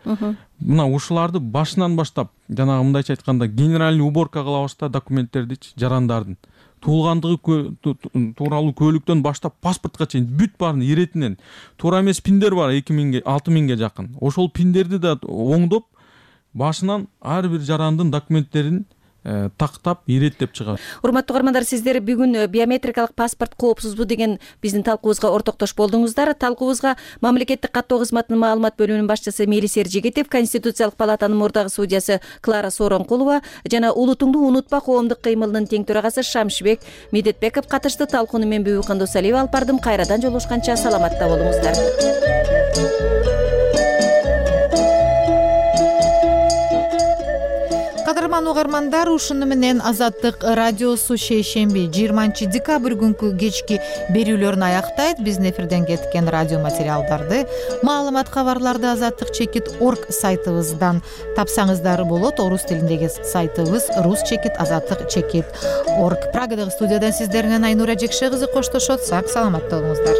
Мына ушуларды башынан баштап, жанагы мындайча айтканда генеральный уборка кылабыз да документтердичи, жарандардын. Туулгандыгы тууралуу көлүктөн баштап паспортко чейин бүт баарын иретинен. Туура эмес пиндер бар 2000 6000ге жакын. Ошол пиндерди да оңдоп, башынан ар бир жарандын документтерин тактап иреттеп чыгат. Урматтуу угармандар, сиздер бүгүн биометрикалык паспорт коопсузбу деген биздин талкуубузга ортоктош болдуңуздар. Талкуубузга мамлекеттик каттоо кызматынын маалымат бөлүмүнүн башчысы Мелис Эржегетов, Конституциялык палатанын мурдагы судьясы Клара Сооронкулова жана Улутуңду унутпа коомдук кыймылынын тең төрагасы Шамшыбек Медетбеков катышты. Талкууну мен Бүбү Кандосалиева алып бардым. Кайрадан жолугушканча саламатта болуңуздар. Кадырман угармандар, ушуну менен Азаттык радиосу шейшемби 20 декабрь күнкү кечки берүүлөрүн аяктайт. Биздин эфирден кеткен радио материалдарды, маалымат кабарларды azattik.org сайтыбыздан тапсаңыздар болот. Орус тилиндеги сайтыбыз rus.azattik.org. Прагадагы студиядан сиздер менен Айнура Жекше кызы коштошот. Сак саламатта болуңуздар.